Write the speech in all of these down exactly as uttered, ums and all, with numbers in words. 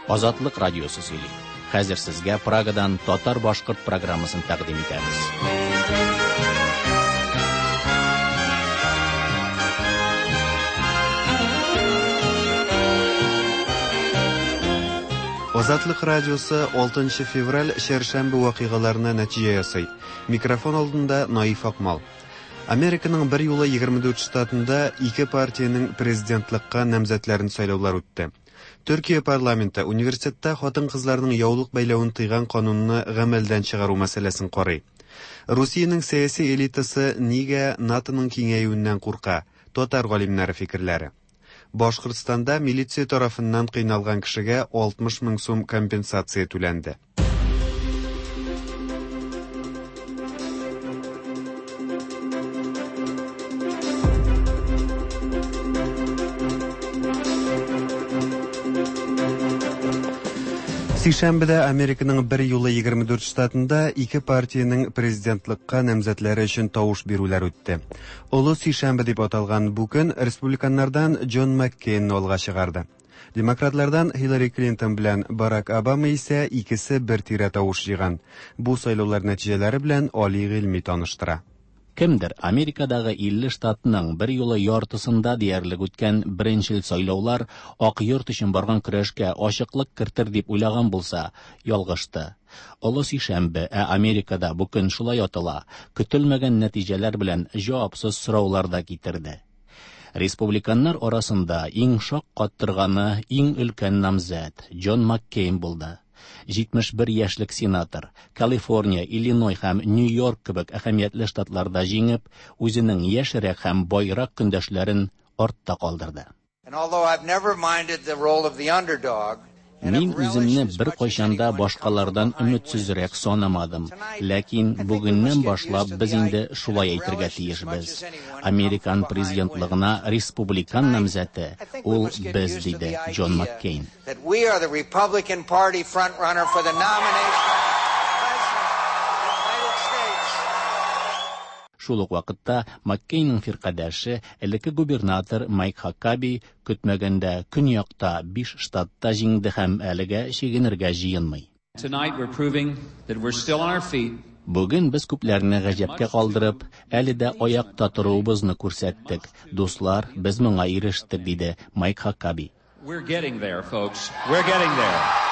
Азатлык радиосы сөйли. Хәзер сезгә Прагадан татар-башкорт программасын тәкъдим итәбез. Азатлык радиосы алтынчы февраль чәршәмбе вакыйгаларына нәтиҗә ясый. Микрофон алдында Наиф Акмал. Американың бер юлы егерме дүрт штатында ике партиянең президентлыкка намзәтләрен сайлаулар үтте. Төркия парламенты университетта хатын-кызларның яулык бәйләвен тыйган канунны гамәлдән чыгару мәсьәләсен карый. Русиянең сәяси элитасы нигә НАТОның киңәюеннән курка? Татар галимнәре фикерләре. Башкортстанда милиция тарафыннан кыйналган кешегә алтмыш мең сум компенсация түләнде. Сишәмбедә Американың бер юлы егерме дүрт штатында ике партиянең президентлыкка намзәтләре өчен тавыш бирүләр үтте. Олы Сишәмбе дип аталган бу көн республиканнардан Джон Маккейнны алга чыгарды. Демократлардан Хиллари Клинтон белән Барак Обама исә икесе бер тирә тавыш җыйган. Бу сайлаулар нәтиҗәләре белән Али Гыйльми таныштыра. Кемдер Америкадагы илле штатның бер юлы яртысында диярлек үткән беренчел сайлаулар Ак йорт өчен барган көрәшкә ачыклык кертер дип уйлаган булса, ялгышты. Олы Сишәмбе, ә Америкада бу көн шулай атала, көтелмәгән нәтиҗәләр белән җавапсыз сораулар да китерде. Республиканнар арасында иң шаккаттырганы иң өлкән намзәт Джон Маккейн булды. Җитмеш бер яшьлек сенатор Калифорния, Иллиной һәм Нью-Йорк кебек әһәмиятле штатларда җиңеп, үзенең яшьрәк һәм байрак көндәшләрен артта калдырды. And although I've never minded the role of the underdog, Мин үземне бер кайчан да башкалардан өметсезрәк санамадым. Ләкин бүгеннән башлап без инде шулай әйтергә тиешбез. Американ президентлыгына республикан намзәте ул без, диде Джон Маккейн. That we are the Republican Party frontrunner for the nomination of President of the United States. Шул ук вакытта Маккейнның фиркадәше, элекке губернатор Майк Хакаби көтмәгәндә көньякта биш штатта җиңде һәм әлегә чигенергә җыенмый. Tonight we're proving that we're still on our feet. Бүген без күпләрне гаҗәпкә калдырып, әле дә аякта торуыбызны күрсәттек. Дуслар, без моңа ирештек, диде Майк Хакаби. We're getting there, folks. We're getting there.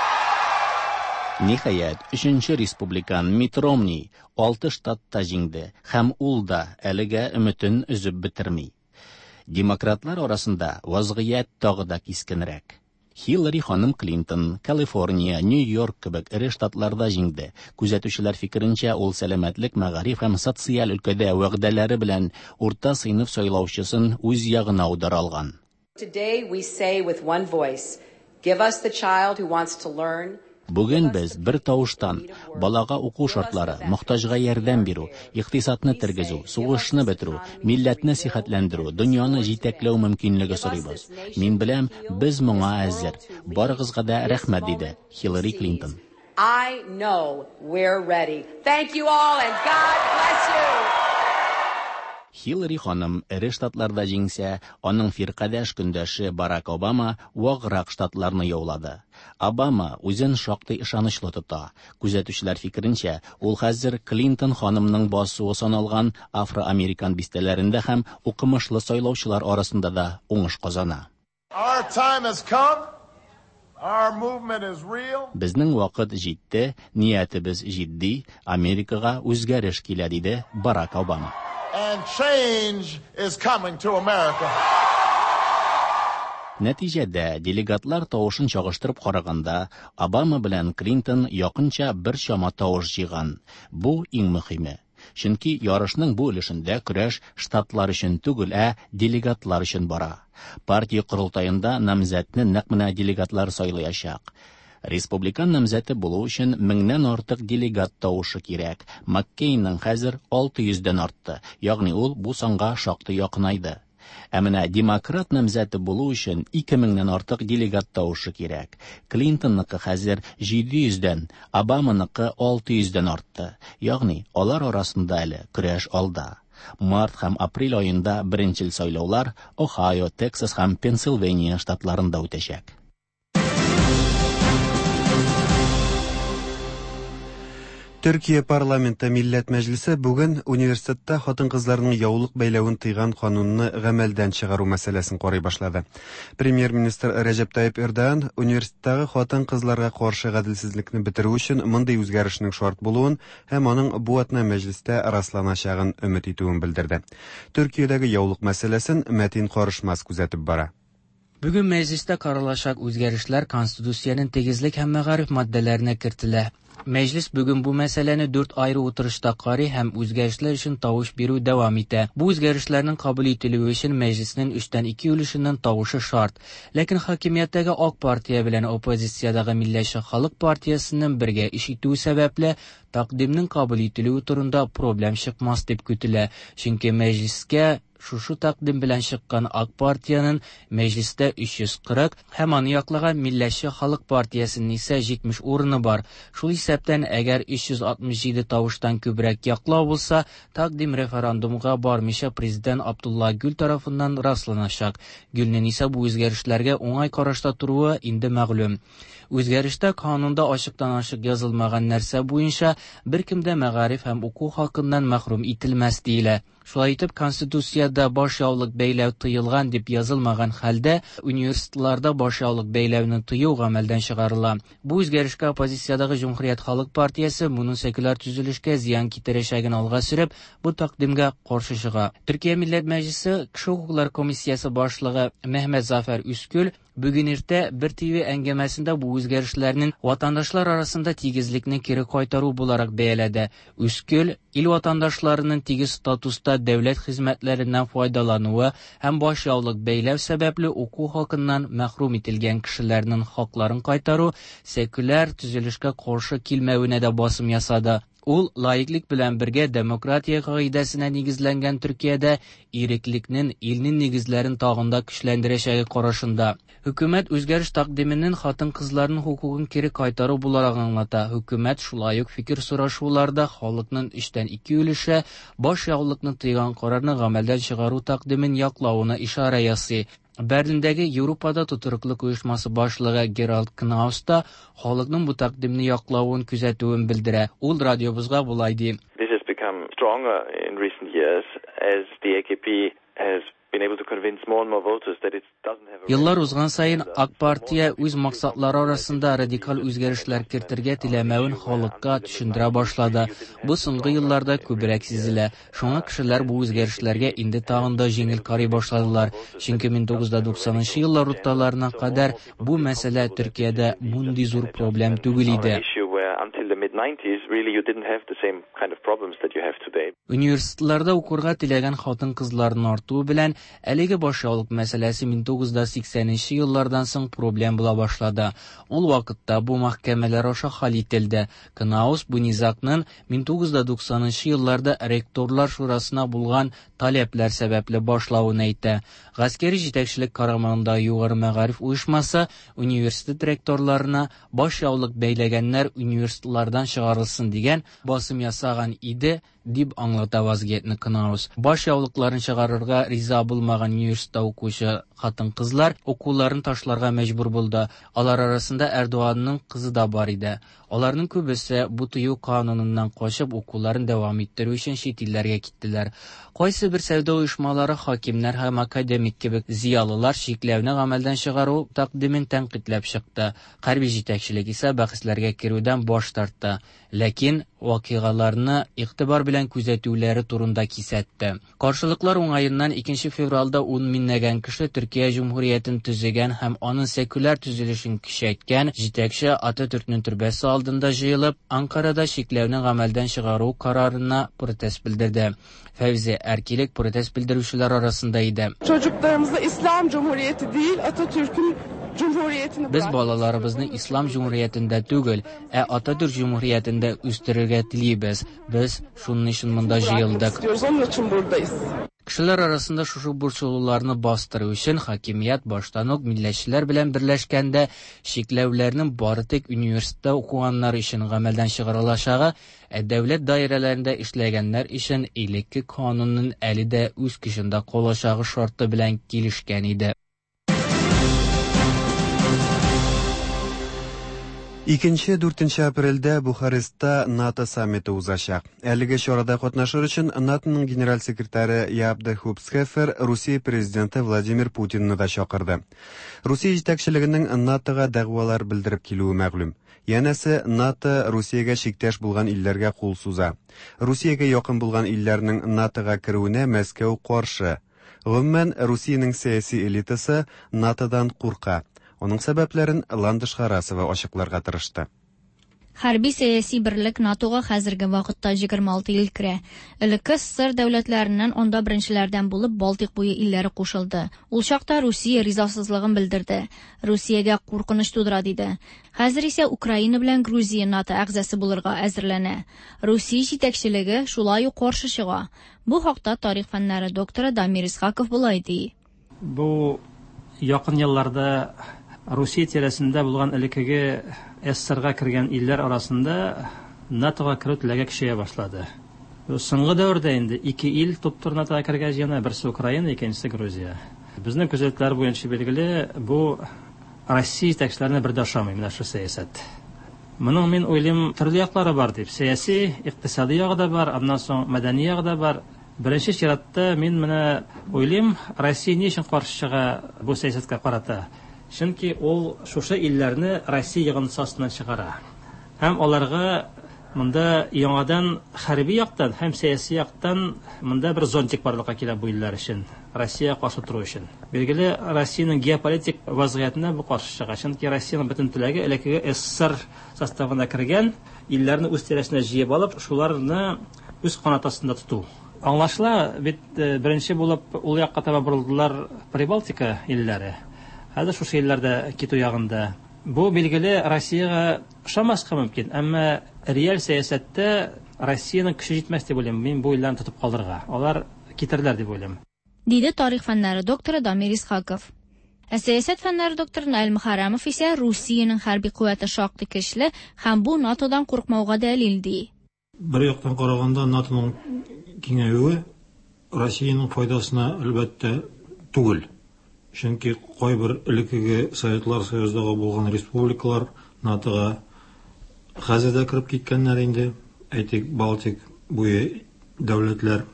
Ниһаять, өченче республикан Митт Ромни алты штатта җиңде һәм ул да әлегә өметен өзеп бетерми. Демократлар арасында вазгыять тагы да кискенрәк. Хиллари ханым Клинтон, Калифорния, Нью-Йорк кебек эре штатларда җиңде. Күзәтүчеләр фикеренчә, ул сәламәтлек, мәгариф һәм социаль өлкәдә вәгъдәләре белән урта сыйныф сайлаучысын үз ягына аудара алган. Today we say with one voice, give us the child who wants to learn. Бүген без бер тавыштан балага уку шартлары, мохтаҗга ярдәм бирү, икътисадны тергезү, сугышны бетерү, милләтне сихәтләндерү, дөньяны җитәкләү мөмкинлеге сорыйбыз. Мин беләм, без моңа әзер. Барыгызга да рәхмәт, диде Хиллари Клинтон. I know we're ready. Thank you all and God bless you. Хиллари ханым эре штатларда җиңсә, аның фиркадәш көндәше Барак Обама ваграк штатларны яулады. Обама үзен шактый ышанычлы тота. Күзәтүчеләр фикеренчә, ул хәзер Клинтон ханымның басуы саналган афроамерикан бистәләрендә һәм укымышлы сайлаучылар арасында да уңыш казана. Our time has come. Our movement is real. Безнең вакыт җитте, ниятебез җитди, Америкага үзгәреш килә, диде Барак Обама. And change is coming to America. Нәтиҗәдә делегатлар тавышын чагыштырып караганда, Обама белән Клинтон якынча бер чама тавыш җыйган. Бу иң мөһиме. Чөнки ярышның бу өлешендә көрәш штатлар өчен түгел, ә делегатлар өчен бара. Партия корылтаенда намзәтне нәкъ менә делегатлар сайлаячак. Республикан намзәте булу өчен меңнән артык делегат тавышы кирәк. Маккейнның хәзер алты йөздән артты, ягъни ул бу санга шактый якынайды. Ә менә демократ намзәте булу өчен ике меңнән артык делегат тавышы кирәк. Клинтонныкы хәзер җиде йөздән, Обаманыкы алты йөздән артты. Ягъни алар арасында әле көрәш алда. Март һәм апрель аенда беренчел сайлаулар Ohio, Texas һәм Пенсильвания штатларында үтәчәк. Төркия парламенты Милләт Мәҗлесе бүген университетта хатын-кызларның яулык бәйләвен тыйган канунны гамәлдән чыгару мәсьәләсен карый башлады. Премьер-министр Рәҗәп Тайип Эрдоган университеттагы хатын-кызларга каршы гаделсезлекне бетерү өчен мондый үзгәрешнең шарт булуын һәм аның бу атна мәҗлестә расланачагын өмет итүен белдерде. Төркиядәге яулык мәсьәләсен Мәтин Карышмас күзәтеп бара. Бүген мәҗлестә каралачак үзгәрешләр Конституциянең тигезлек һәм мәгариф маддәләренә кертелә. Мәҗлес бүген бу мәсьәләне дүрт аеры утырышта карый һәм үзгәрешләр өчен тавыш бирү дәвам итә. Бу үзгәрешләрнең кабул ителүе өчен мәҗлеснең өчтән ике өлешеннән тавышы шарт. Ләкин хакимияттәге Ак партия белән оппозициядәге Милләтче халык партиясенең бергә эш итүе сәбәпле тәкъдимнең кабул ителүе турында проблем чыкмас дип көтелә. Чөнки мәҗлескә шушы тәкъдим белән чыккан Ак партиянең мәҗлестә өч йөз кырык һәм аны яклаган Милләтче халык партиясенең исә җитмеш урыны бар. Шул исәптән, әгәр өч йөз алтмыш җиде тавыштан күбрәк яклау булса, тәкъдим референдумга бармыйча президент Абдулла Гүл тарафыннан расланачак. Гүлнең исә бу үзгәрешләргә уңай карашта торуы инде мәгълүм. Үзгәрештә канунда ачыктан-ачык язылмаган нәрсә буенча беркем дә мәгариф һәм уку хакыннан мәхрүм ителмәс диелә. Шулай итеп, Конституциядә баш яулык бәйләү тыелган дип язылмаган хәлдә университетларда баш яулык бәйләүне тыю гамәлдән чыгарыла. Бу үзгәрешкә оппозициядәге Җөмһүрият халык партиясе моның секуляр төзелешкә зыян китерәчәген алга сөреп, бу тәкъдимгә каршы чыга. Төркия Милләт Мәҗлесе Кеше хокуклары комиссиясе башлыгы Мехмет Зафәр Үскүл бүген иртә бер Т В әңгәмәсендә бу үзгәрешләрнең ватандашлар арасында тигезлекне кире кайтару буларак бәяләде. Үскүл ил ватандашларының тигез статуста дәүләт хезмәтләреннән файдалануы һәм баш яулык бәйләү сәбәпле уку хакыннан мәхрүм ителгән кешеләрнең хакларын кайтару секуляр төзелешкә каршы килмәвенә дә басым ясады. Ул лаиклык белән бергә демократия кагыйдәсенә нигезләнгән Төркиядә иреклекнең илнең нигезләрен тагын да көчләндерәчәге карашында. Хөкүмәт үзгәреш тәкъдименең хатын-кызларның хокукын кире кайтару буларак аңлата. Хөкүмәт шулай ук фикер сорашуларда халыкның өчтән ике өлеше баш яулыкны тыйган карарны гамәлдән чыгару тәкъдимен яклавына ишарә ясый. Берлиндәге Европада тотрыклык оешмасы башлыгы Геральд Кнаус та халыкның бу тәкъдимне яклавын күзәтүен белдерә. Ул радиобызга болай ди. This has become stronger in recent years as the A K P has been able to convince more and more voters that it doesn't have a Еллар узган саен Ак партия үз максатлары арасында радикаль үзгәрешләр кертергә теләмәвен халыкка төшендерә башлады. Бу соңгы елларда күбрәк сизелә. Шуңа кешеләр бу үзгәрешләргә инде тагын да җиңел карый башладылар. Чөнки мең тугыз йөз туксанынчы еллар урталарына кадәр бу мәсьәлә Төркиядә мондый зур проблем түгел иде. Until the mid nineties, really you didn't have the same kind of problems that you have today. Университетларда укырга теләгән хатын-кызларның артуы белән әлеге баш яулык мәсьәләсе мең тугыз йөз сиксәненче еллардан соң проблем була башлады. Ул вакытта бу мәхкәмәләр аша хәл ителде. Кнаус бу низагның мең тугыз йөз туксанынчы елларда ректорлар шурасына булган таләпләр сәбәпле башлавын әйтә. Гаскәри җитәкчелек карамагында югары мәгариф оешмасы университет ректорларына баш яулык бәйләгәннәр университетлардан чыгарылсын дигән басым ясаган иде, дип аңлата вазгыятьне Кнаус. Баш яулыкларын чыгарырга риза булмаган университетта укучы хатын-кызлар укуларын ташларга мәҗбүр булды. Алар арасында Эрдоганның кызы да бар иде. Аларның күбесе бу тыю кануныннан качып укуларын дәвам иттерү өчен чит илләргә киттеләр. Кайсы бер сәүдә оешмалары хакимнәр һәм академик кебек зыялылар чикләүне гамәлдән чыгару тәкъдимен тәнкыйтьләп чыкты. Хәрби җитәкчелек исә бәхәсләргә керүдән баш тартты. Ләкин вакыйгаларны игътибар белән күзәтүләре турында кисәтте. Каршылыклар уңаеннан икенче февральдә ун меңләгән кеше Төркия Җөмһүриятен төзегән һәм аның секуляр төзелешен көчәйткән җитәкче Ататүркнең төрбәсе алдында җыелып, Анкарада чикләүне гамәлдән чыгару карарына протест белдерде. Фәүзе Әркилек протест белдерүчеләр арасында иде. Çocuklarımıza İslam Cumhuriyeti değil, Atatürk'ün Cumhuriyetini Без балаларыбызны Ислам Җөмһүриятендә түгел, ә Ататүрк Җөмһүриятендә үстерергә телибез. Без шуның өчен монда җыелдык. Onun için buradayız. Кешеләр арасында шушы борчылуларны бастыру өчен хакимият баштан ук милләтчеләр белән берләшкәндә чикләүләрнең бары тик университетта укыганнар өчен гамәлдән чыгарылачагы, ә дәүләт даирәләрендә эшләгәннәр өчен элекке канунның әле дә үз көчендә калачагы шарты белән килешкән иде. Икенче дүртенче апрельдә Бухарестта НАТО саммиты узачак. Әлеге чарада катнашыр өчен НАТОның генераль секретаре Яап де Хуп Схефер Русия президенты Владимир Путинны да чакырды. Русия җитәкчелегенең НАТОга дәгъвалар белдереп килүе мәгълүм. Янәсе, НАТО Русиягә чиктәш булган илләргә кул суза. Русиягә якын булган илләрнең НАТОга керүенә Мәскәү каршы. Гомумән, Русиянең сәяси элитасы НАТОдан курка. Аның сәбәпләрен Ландыш Харасова ачыкларга тырышты. Хәрби сәяси берлек НАТОга хәзерге вакытта егерме алты ил керә. Элекке СССР дәүләтләреннән анда беренчеләрдән булып Балтыйк буе илләре кушылды. Ул чакта Русия ризасызлыгын белдерде. Русиягә куркыныч тудыра диде. Хәзер исә Украина белән Грузия НАТО әгъзасы булырга әзерләнә. Русия җитәкчелеге шулай ук каршы чыга. Бу хакта тарих фәннәре докторы Дамир Исхаков болай ди. Бу якын елларда Русия тирәсендә булган элеккеге СССРга кергән илләр арасында НАТОга керү теләге көчәя башлады. Соңгы дәвердә инде ике ил туп-туры НАТОга кергән җыена, берсе Украина, икенчесе Грузия. Безнең күзәтүләр буенча билгеле, бу Россия җитәкчеләренә бер дә ошамый менә шу сәясәт. Моның мин уйлыйм төрле яклары бар дип. Сәяси, икътисади ягы да бар, аннан соң мәдәни ягы да бар. Беренче чиратта мин менә уйлыйм, Россия ни өчен каршы чыга бу сәясәткә карата? Чөнки ул шушы илләрне Россия йогынтысы астыннан чыгара. Һәм аларга монда яңадан хәрби яктан һәм сәяси яктан монда бер зонтик барлыкка килә бу илләр өчен, Россия каршы тору өчен. Билгеле, Россиянең геополитик вазгыятенә бу каршы чыга. Чөнки Россиянең бөтен теләге элеккеге СССР составына кергән илләрне үз тирәсенә җыеп алып, шуларны үз канат астында тоту. Аңлашыла, бит беренче булып ул якка таба борылдылар Прибалтика илләре. Хәзер шушы илләрдә китү ягында. Бу билгеле Россиягә ошамаска мөмкин, әмма реаль сәясәттә Россиянең көче җитмәс дип уйлыйм. Мин бу илләрне тотып калырга. Алар китерләр дип уйлыйм. Диде тарих фәннәре докторы Дамир Исхаков. Ә сәясәт фәннәре докторы Наил Мөхәррәмов исә Русиянең хәрби куәте шактый көчле һәм бу НАТОдан куркмауга дәлил ди. Бер яктан караганда НАТОның киңәюе Россиянең файдасына әлбәттә түгел. Чөнки кайбер элеккеге Советлар Союзындагы булган республикалар НАТОга хәзер дә кереп киткәннәр инде. Әйтик, Балтик буе дәүләтләр,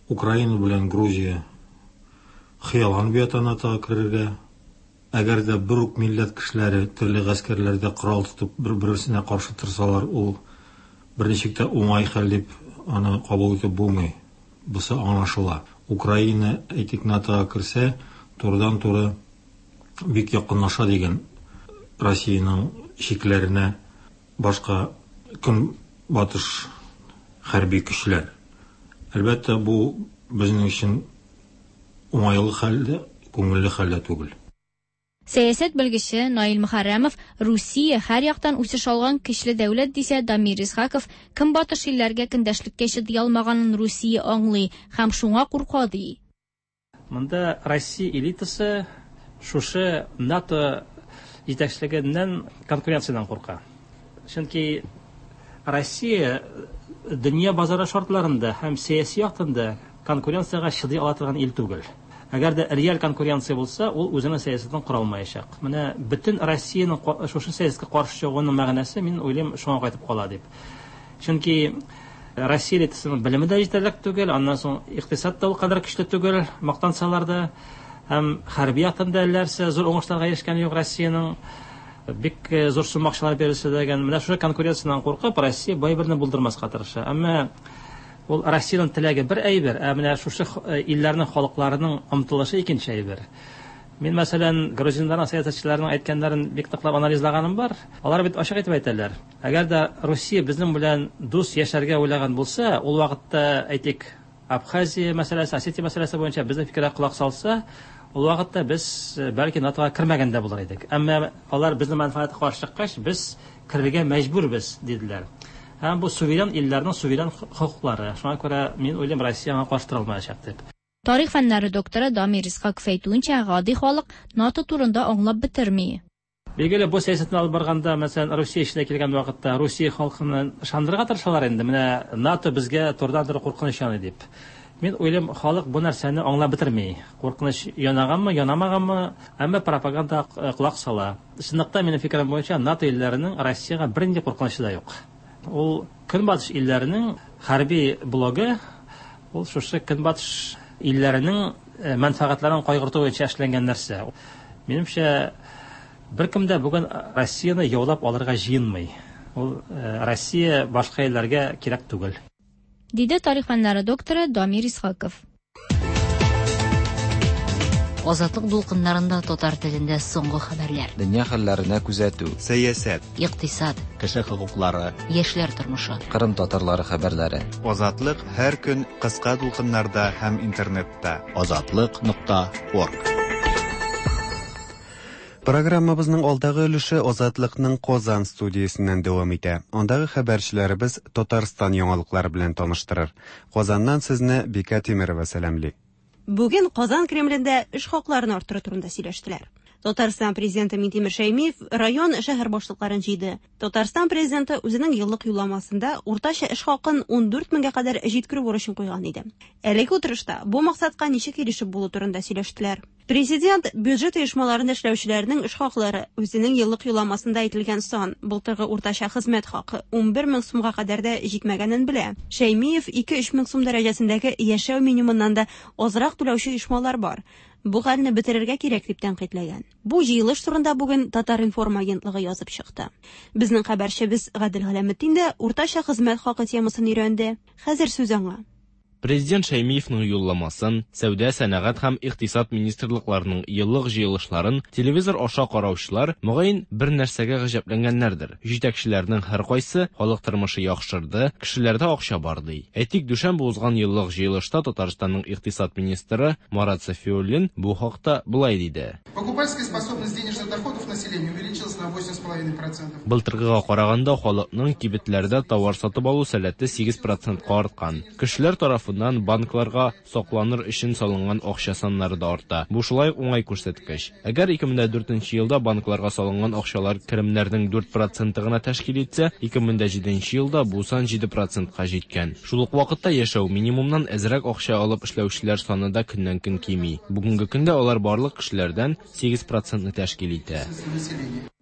Украина белән Грузия хыялланып ята НАТОга керергә. Әгәр дә бер үк милләт кешеләре төрле гаскәрләрдә корал тотып бер-берсенә каршы торсалар, ул берничек тә уңай хәл дип аны кабул итеп булмый. Бусы аңлашыла. Украина, әйтик, НАТОга керсә, турыдан-туры бик якынлаша дигән Россиянең чикләренә башка көнбатыш хәрби көчләр. Әлбәттә, бу безнең өчен уңайлы хәл дә, күңелле хәл дә түгел. Сәясәт белгече Наил Мөхәррәмов Русия һәр яктан үсеш алган көчле дәүләт дисә, Дамир Исхаков көнбатыш илләргә көндәшлеккә чыдый алмаганын Русия аңлый һәм шуңа курка ди. Монда Россия элитасы шушы НАТО җитәкчелегеннән конкуренциядән курка. Чөнки Россия дөнья базары шартларында һәм сәяси яктан да конкуренциягә чыдый ала торган ил түгел. Әгәр дә реаль конкуренция булса, ул үзенең сәясәтен кора алмаячак. Менә бөтен Россиянең шушы сәясәткә каршы чыгуының мәгънәсе, мин уйлыйм, шуңа кайтып кала дип. Чөнки Россия элитасының белеме дә җитәрлек түгел, аннан соң икътисад та ул кадәр көчле түгел, мактансалар да, һәм хәрби яктан да әлләрсә зур уңышларга ирешкән юк Россиянең. Бик зур сумма акчалар бирелсә дә, менә шушы конкуренциядән куркып, Россия бай берне булдырмаска тырыша. Әмма ул Россиянең теләге бер әйбер, ә менә шушы илләрнең халыкларының омтылышы икенче әйбер. Мин, мәсәлән, грузиннарның сәясәтчеләренең әйткәннәрен бик ныклап анализлаганым бар. Алар бит ачык итеп әйтәләр. Әгәр дә Русия безнең белән дус яшәргә уйлаган булса, ул вакытта, әйтик, Абхазия мәсьәләсе, Осетия мәсьәләсе буенча безнең фикергә колак салса, ул вакытта без бәлки НАТОга кермәгән дә булыр идек. Әмма алар безнең мәнфәгатькә каршы чыккач, без керергә мәҗбүрбез, диделәр. Һәм бу суверен илләрнең суверен хокуклары. Шуңа күрә мин уйлыйм, Россия аңа каршы тора алмаячак дип. Тарих фәннәре докторы Дамир Исхаков әйтүенчә, гади халык НАТО турында аңлап бетерми. Билгеле, бу сәясәтне алып барганда, мәсәлән, Русия эченә килгән вакытта Русия халкын ышандырырга тырышалар инде. Менә НАТО безгә турыдан-туры куркыныч яный дип. Мин уйлыйм, халык бу нәрсәне аңлап бетерми. Куркыныч янаганмы, янамаганмы, әмма пропаганда колак сала. Чынлыкта минем фикерем буенча НАТО илләренең Россиягә бернинди куркынычы да юк. Ул Көнбатыш илләренең хәрби блогы, ул шушы Көнбатыш илләренең мәнфәгатьләрен кайгырту буенча эшләнгән нәрсә. Минемчә, беркем дә бүген Россияне яулап алырга җыенмый. Ул Россия башка илләргә кирәк түгел. Диде тарих фәннәре докторы Дамир Исхаков. Азатлык дулкыннарында татар телендә соңгы хәбәрләр. Дөнья хәлләренә күзәтү. Сәясәт. Икътисад. Кеше хокуклары. Яшьләр тормышы. Кырым татарлары хәбәрләре. Азатлык һәр көн кыска дулкыннарда һәм интернетта. Азатлык нокта орг. Программабызның алдагы өлеше Азатлыкның Казан студиясеннән дәвам итә. Андагы хәбәрчеләребез Татарстан яңалыклары белән таныштырыр. Казаннан сезне Бика Тимирова сәламли. Бүген Казан Кремлендә эш хакларын арттыру турында сөйләштеләр. Татарстан президенты Минтимер Шәймиев район шәһәр башлыкларын җыйды. Татарстан президенты үзенең еллык юлламасында уртача эш хакын ун дүрт меңгә кадәр җиткерү бурычын куйган иде. Әлеге утырышта бу максатка ничек ирешеп булу турында сөйләштеләр. Президент бюджет оешмаларында эшләүчеләрнең эш хаклары үзенең еллык юлламасында әйтелгән сан, былтыргы уртача хезмәт хакы ун бер мең сумга кадәр дә җитмәгәнен белә. Шәймиев ике-өч мең сум дәрәҗәсендәге яшәү минимумыннан да азрак түләүче оешмалар бар. Бу хәлне бетерергә кирәк дип тәнкыйтьләгән. Бу җыелыш турында бүген Татар-информ агентлыгы язып чыкты. Безнең хәбәрчебез Гадел Галәметдин дә уртача хезмәт хакы темасын өйрәнде. Хәзер сүз аңа. Президент Шәймиевның юлламасын, сәүдә, сәнәгать һәм икътисад министрлыкларының еллык җыелышларын телевизор аша караучылар мөгаен бер нәрсәгә гаҗәпләнгәннәрдер. Җитәкчеләрнең һәркайсы халык тормышы яхшырды, кешеләрдә акча бар ди. Әйтик, дүшәмбе узган еллык җыелышта Татарстанның икътисад министры Марат Сафиуллин бу хакта болай диде. Покупательская способность денежных доходов населения увеличилась на восемь с половиной процентов. Былтыргыга караганда халыкның кибетләрдә товар сатып алу сәләте сигез процентка арткан. Кешеләр тарафыннан банкларга сакланыр өчен салынган акча саннары да арта. Бу шулай уңай күрсәткеч. Әгәр ике мең дүртенче елда банкларга салынган акчалар керемнәрнең дүрт проценты гына тәшкил итсә, ике мең җиденче елда бу сан җиде процентка җиткән. Шул ук вакытта яшәү минимумнан әзрәк акча алып эшләүчеләр саны да көннән-көн кими. Бүгенге көндә алар барлык кешеләрдән сигез процентны тәшкил итә.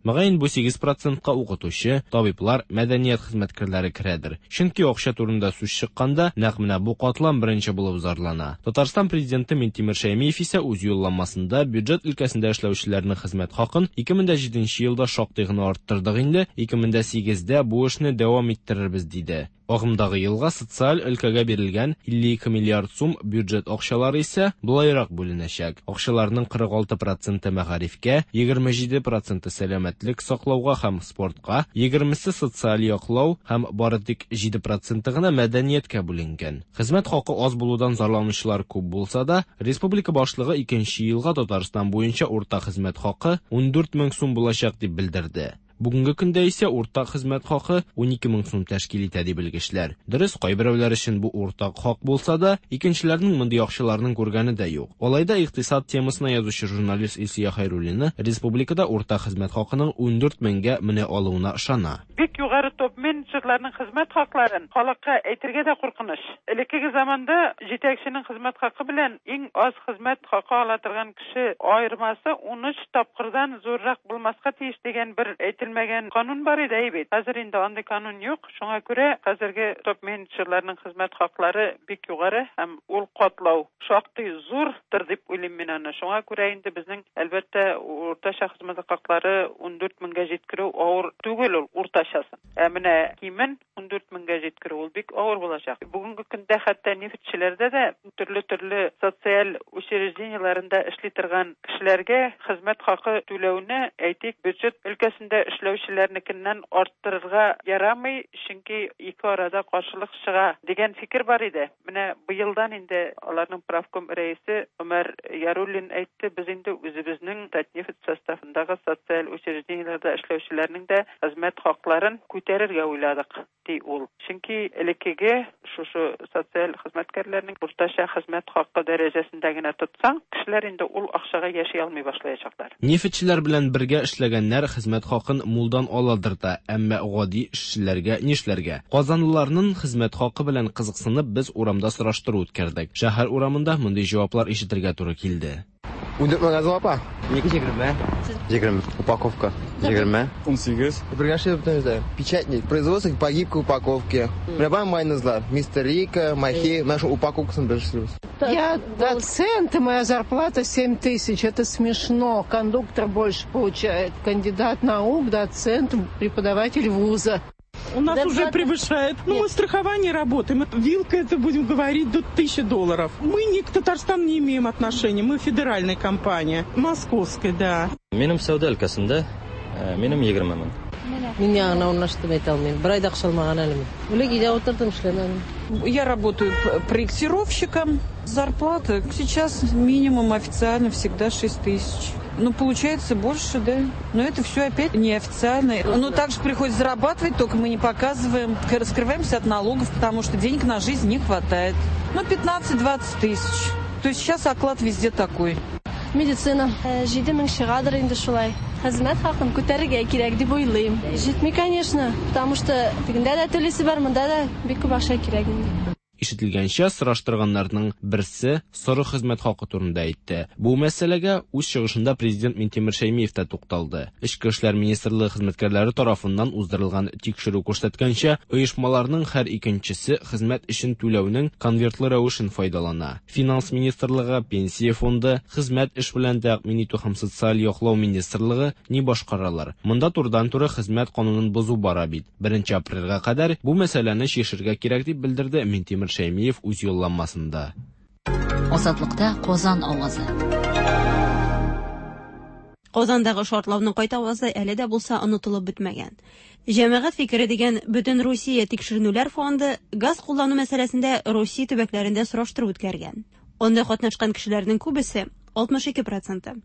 Мөгаен бу сигез процентка укытучы, табиблар, мәдәният хезмәткәрләре керәдер. Чөнки акча турында сүз чыкканда, нәкъ менә бу катлам беренче булып зарлана. Татарстан президенты Минтимер Шәймиев исә үз юлламасында бюджет өлкәсендә эшләүчеләрнең хезмәт хакын ике мең җиденче елда шактый гына арттырдык инде, ике мең сигездә бу эшне дәвам иттерербез диде. Агымдагы елга социаль өлкәгә бирелгән илле ике миллиард сум бюджет акчалары исә болайрак бүленәчәк. Акчаларның кырык алты проценты мәгарифкә, егерме җиде проценты сәламәтлек саклауга һәм спортка, егермесе социаль яклау һәм бары тик җиде проценты гына мәдәнияткә бүленгән. Хезмәт хакы аз булудан зарланучылар күп булса да, республика башлыгы икенче елга Татарстан буенча урта хезмәт хакы ун дүрт мең сум булачак дип белдерде. Бүгенге көндә исә уртак хезмәт хакы ун ике мең сум тәшкил итә ди белгечләр. Дөрес, кайберәүләр өчен бу уртак хак булса да, икенчеләрнең мондый акчаларның күргәне дә юк. Алай да икътисад темасына язучы журналист Илсөя Хәйруллина республикада уртак хезмәт хакының ун дүрт меңгә менә алуына ышана. Бик югары топ-менеджерларның хезмәт хакларын халыкка әйтергә дә куркыныч. Элеккеге заманда җитәкченең хезмәт хакы белән иң аз хезмәт хакы ала торган кеше аермасы ун өч тапкырдан зуррак булмаска тиеш дигән бер әйтелмәгән канун бар иде бит. Хәзер инде андый канун юк. Шуңа күрә хәзерге топ-менеджерларның хезмәт хаклары бик югары һәм ул катлау шактый зурдыр дип уйлыйм мин аны. Шуңа күрә инде безнең әлбәттә уртача хезмәт хаклары ун дүрт меңгә җиткерү авыр түгел ул уртачасын. Ә менә кимен ун дүрт меңгә җиткерү ул бик авыр булачак. Бүгенге көндә хәтта нефтьчеләрдә дә төрле-төрле социаль учреждениеләрендә эшли торган кешеләргә хезмәт хакы түләүне, әйтик, бюджет өлкәсендә эшләүчеләрнекеннән арттырырга ярамый, чөнки ике арада каршылык чыга дигән фикер бар иде. Менә быелдан инде аларның правком рәисе Умар Яруллин әйтте, без инде үзебезнең Татнефть составындагы социаль учреждениеләрдә эшләүчеләрнең дә хезмәт хакларын күтәреп Күтәрергә уйладык, ди ул. Чөнки элеккеге шушы социаль хезмәткәрләрнең уртача хезмәт хакы дәрәҗәсендә генә тотсаң, кешеләр инде ул акчага яши алмый башлаячаклар. Нефтьчеләр белән бергә эшләгәннәр хезмәт хакын мулдан аладыр да, әмма гади эшчеләргә нишләргә? Казанлыларның хезмәт хакы белән кызыксынып, без урамда сораштыру үткәрдек. Шәһәр урамында мондый җаваплар ишетергә туры килде. Ундүрт мең газы апа. Ике егерме. Егерме. Упаковка. Егерме. Унсигез. Бергә эшләп бөтенебез. Печатник. Производство по гибкой упаковке. Менә бар майонезлар. Мистер Рика, Махи, менә шул упаковкасын без эшлибез. Я доцент, и моя зарплата семь тысяч. Это смешно. Кондуктор больше получает. Кандидат наук, доцент, преподаватель вуза. У нас да, уже превышает. Ну, мы страхование работаем. Вилка, это будем говорить, до тысячи долларов. Мы ни к Татарстану не имеем отношения. Мы федеральная компания. Московская, да. Минем сәүдә өлкәсендә, минем егерме мең. Мин яңа урнаштым әйтә алмыйм. Бер ай да акча алмаган әле мин. Элек өйдә утырдым, эшләмәдем. Я работаю проектировщиком. Зарплата сейчас минимум официально всегда шесть тысяч. Ну, получается больше, да. Но это все опять неофициально. Но также приходится зарабатывать, только мы не показываем. Раскрываемся от налогов, потому что денег на жизнь не хватает. Ну, пятнадцать-двадцать тысяч. То есть сейчас оклад везде такой. Медицина. Җиде мең чыгадыр инде шулай. Хезмәт хакын күтәрергә кирәк дип уйлыйм. Җитми, конечно, потому что тегендә дә түлисе бар, монда да бик күп акча кирәк инде. Ишетелгәнчә, сораштырганнарның берсе соры хезмәт хакы турында әйтте. Бу мәсьәләгә үз чыгышында президент Минтимер Шәймиев та тукталды. Эчке эшләр министрлыгы хезмәткәрләре тарафыннан уздырылган тикшерү күрсәткәнчә, оешмаларның һәр икенчесе хезмәт өчен түләүнең конвертлы рәвешен файдалана. Финанс министрлыгы, пенсия фонды, хезмәт эш белән тәэмин итү һәм социаль яклау министрлыгы ни башкаралар? Монда турыдан-туры хезмәт канунын бозу бара бит. беренче апрельгә кадәр бу мәсьәләне чишергә кирәк дип белдерде Минтимер Шәймиев үз юлланмасында. Азатлыкта Казан авазы. Казандагы шартлауның кайтавазы әле дә булса онытылып бетмәгән. Җәмәгать фикере дигән Бөтен Русия тикшеренүләр фонды газ куллану мәсьәләсендә Русия төбәкләрендә сораштыру үткәргән. Анда катнашкан кешеләрнең күбесе, алтмыш ике проценты,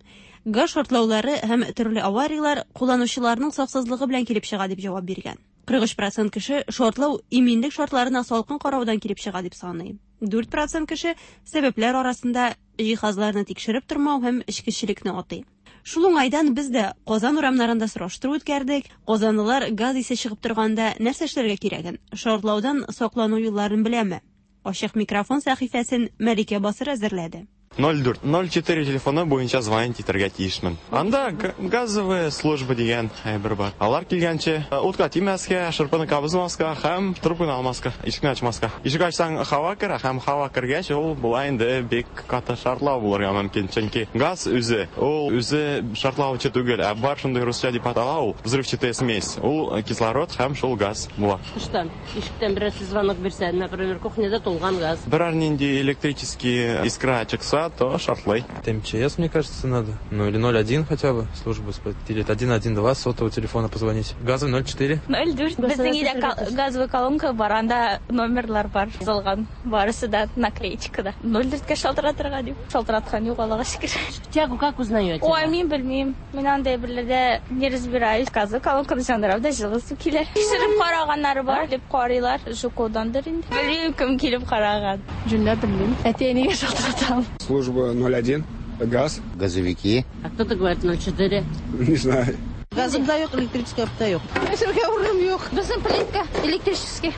газ шартлаулары һәм төрле аварияләр кулланучыларның саксызлыгы белән килеп чыга дип җавап биргән. кырык өч процент кеше шартлау иминлек шартларына салкын караудан килеп чыга дип саный. дүрт процент кеше сәбәпләр арасында җиһазларны тикшереп тормау һәм эчкечелекне атый. Шул уңайдан без дә Казан урамнарында сораштыру үткәрдек. Казанлылар газ исе чыгып торганда нәрсә эшләргә кирәген, шартлаудан саклану юлларын беләме? Ачык микрофон сәхифәсен Мәликә Басыр әзерләде. ноль дүрт ноль четыре телефоны буенча звонить итәргә тиешмен. Анда газовая служба дигән әйбер бар. Алар килгәнче утка тимәскә, шырпыны кабызмаска һәм трубканы алмаска, ишекне ачмаска. Ишек ачсаң һава керә, һәм һава кергәч ул була инде бик каты шартлау булырга мөмкин. Чөнки газ үзе, ул үзе шартлаучы түгел, ә бар шундый русча дип атала ул взрывчатая смесь. Ул кислород һәм шул газ була. Тыштан, ишектән берәрсе звонок бирсә, например, кухняда тулган газ. Берәр нинди электрический искра чыкса, то шартлай. Это МЧС, мне кажется, надо. Ну или ноль один хотя бы, службу, или один один два сотового телефона позвонить. Газовый ноль четыре. ноль дүрт. Безнең өйдә газовый колонка бар, анда номерлар бар, язылган. Барысы да наклеечкада. ноль дүрткә шалтыратырга дип. Шалтыраткан юк, Аллага шөкер. Тягу как узнаете? Ой, мин белмим. Мин андай берләрдә не разбираюсь. Газовый колонканы яндырам да җылы су килә. Тикшереп караганнары бар, дип карыйлар. Жукодандыр инде. Белмим, кем килеп караган. Җүнләп белмим. Әти-әнигә шалтыратам. Служба ноль один, газ. Газовики. А кто-то говорит ноль четыре. Не знаю. Газым да юк, электрический да юк. Эшергә урыным юк. Безнең плитка электрический.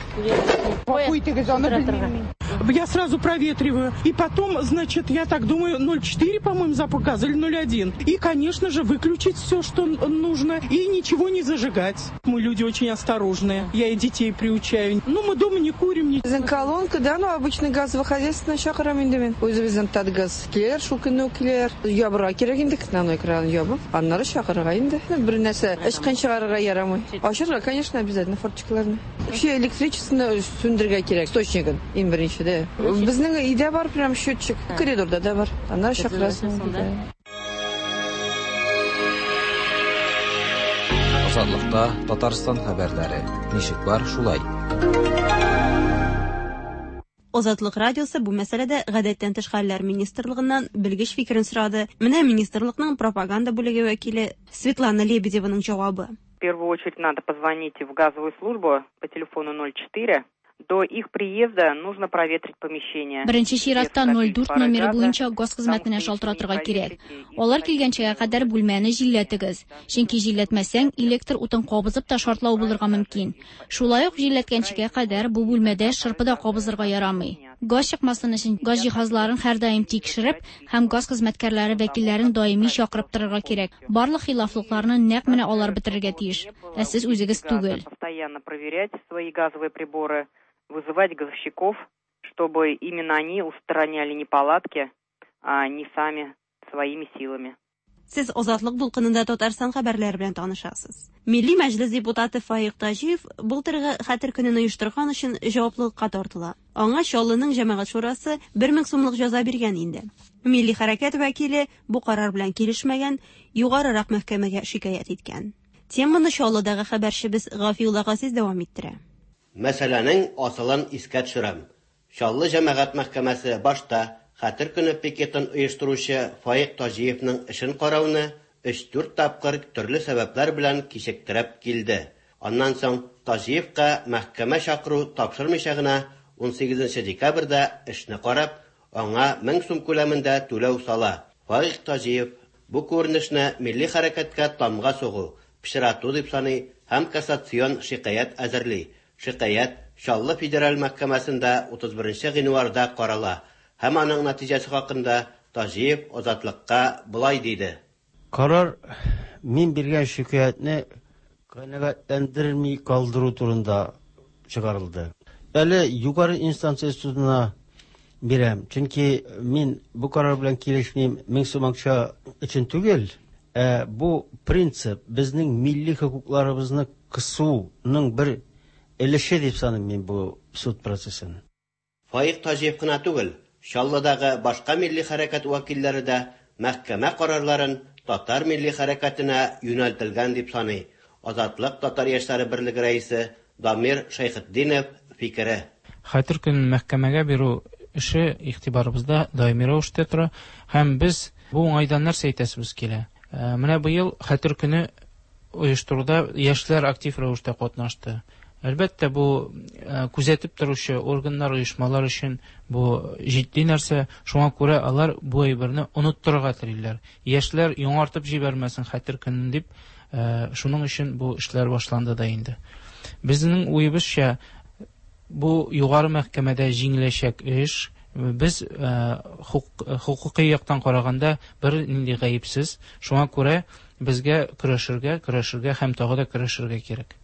Я сразу проветриваю. И потом, значит, я так думаю, ноль четыре, по-моему, запах газа или ноль один. И, конечно же, выключить все, что нужно, и ничего не зажигать. Мы люди очень осторожные. Я и детей приучаю. Ну, мы дома не курим. Не... Безнең колонка, да, ну, обычный газовый хозяйство чакырам инде мин. Үзебезнең Татгаз килер, шул көнне үк килер. Ябырга кирәк инде, на экран ябып, аннары чакырырга инде. Бер нәрсә эчкән чыгарырга ярамый. Ачырга, конечно, обязательно форточкаларны. Вообще электричествоны сүндерергә кирәк, источнигын, иң беренче дә. Безнең өйдә бар прям счетчик, коридорда да бар. Аннары чакырасың. Азатлыкта Татарстан хәбәрләре. Ничек бар, шулай. Азатлык радиосы бу мәсьәләдә гадәттән тыш хәлләр министрлыгыннан белгеч фикерен сорады. Менә министрлыкның пропаганда бүлеге вәкиле Светлана Лебедеваның җавабы. первую очередь надо позвонить в газовую службу по телефону ноль четыре. До их приезда нужно проветрить помещение. Беренче чиратта ноль дүрт номеры буенча газ хезмәтенә шалтыратырга кирәк. Алар килгәнчегә кадәр бүлмәне җилләтегез. Чөнки җилләтмәсәң, электр утын кабызып та шартлау булырга мөмкин. Шулай ук җилләткәнчегә кадәр бу бүлмәдә шырпы да кабызырга ярамый. Газ чыкмасын өчен газ җиһазларын һәрдаим тикшереп һәм газ хезмәткәрләре вәкилләрен даими чакырып торырга кирәк. Барлык хилафлыкларны нәкъ менә алар бетерергә тиеш, ә сез үзегез түгел. Постоянно проверять свои газовые приборы, вызывать газовщиков, чтобы именно они устраняли неполадки, а не сами своими силами. Сез Азатлык дулкынында Татарстан хәбәрләре белән танышасыз. Милли Мәҗлес депутаты Фаик Таҗиев былтыргы Хәтер көнен оештырган өчен җаваплылыкка тартыла. Аңа Чаллының җәмәгать шурасы бер мең сумлык җәза биргән инде. Милли хәрәкәт вәкиле бу карар белән килешмәгән, югарырак мәхкәмәгә шикаять иткән. Теманы Чаллыдагы хәбәрчебез Гафиулла Газиз дәвам иттерә. Мәсьәләнең асылын искә төшерәм. Чаллы җәмәгать мәхкәмәсе башта Хәтер көне пикетын оештыручы Фаик Таҗиевның эшен карауны өч-дүрт тапкыр төрле сәбәпләр белән кичектереп килде. Аннан соң Таҗиевка мәхкәмә чакыру тапшырмыйча гына ун сигезенче декабрьдә эшне карап, аңа мең сум күләмендә түләү сала. Фаик Таҗиев бу күренешне милли хәрәкәткә тамга сугу, пычрату дип саный һәм кассацион шикаять әзерли. Шикаять Чаллы федераль мәхкәмәсендә утыз беренче гыйнварда карала. Һәм аның нәтиҗәсе хакында Таҗиев Азатлыкка болай диде. Карар мин биргән шикаятьне канәгатьләндерми калдыру турында чыгарылды. Әле югары инстанция судына бирәм, чөнки мин бу карар белән килешмим, мең сум акча өчен түгел, ә бу принцип безнең милли хокукларыбызны кысуның бер өлеше дип саныйм мин бу суд процессын. Фаик Таҗиев кына түгел, Чаллыдагы башка милли хәрәкәт вәкилләре дә мәхкәмә карарларын татар милли хәрәкәтенә юнәлтелгән дип саный. Азатлык татар яшьләре берлеге рәисе Дамир Шәйхетдинов фикере. Хәтер көнен мәхкәмәгә бирү эше игътибарыбызда даими рәвештә тора һәм без бу уңайдан нәрсә әйтәсебез килә. Менә быел Хәтер көне оештыруда яшьләр актив рәвештә катнашты. Әлбәттә, бу күзәтеп торучы органнар, оешмалар өчен бу җитди нәрсә. Шуңа күрә алар бу әйберне оныттырырга телиләр. Яшьләр яңартып җибәрмәсен Хәтер көнен дип, шуның өчен бу эшләр башланды да инде. Безнең уебызча, бу югары мәхкәмәдә җиңеләчәк эш. Без хукукый яктан караганда бер нинди гаепсез. Шуңа күрә безгә көрәшергә, көрәшергә һәм тагы да көрәшергә кирәк.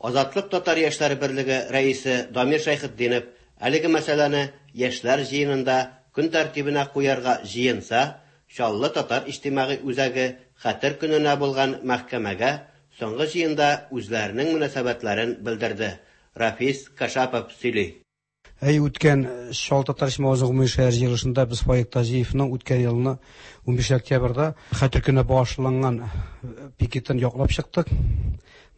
Азатлык татар яшьләре берлеге рәисе Дамир Шәйхетдинов әлеге мәсьәләне яшьләр җыенында көн тәртибенә куярга җыенса, Чаллы татар иҗтимагый үзәге Хәтер көненә булган мәхкәмәгә соңгы җыенда үзләренең мөнәсәбәтләрен белдерде. Рафис Кашапов сөйли. Әй үткән Чаллы татар иҗтимагый үзәге гомуми шәһәр җыелышында без Фаик Таҗиевның үткән елны унбишенче октябрьдә Хәтер көненә багышланган пикетын яклап чыктык.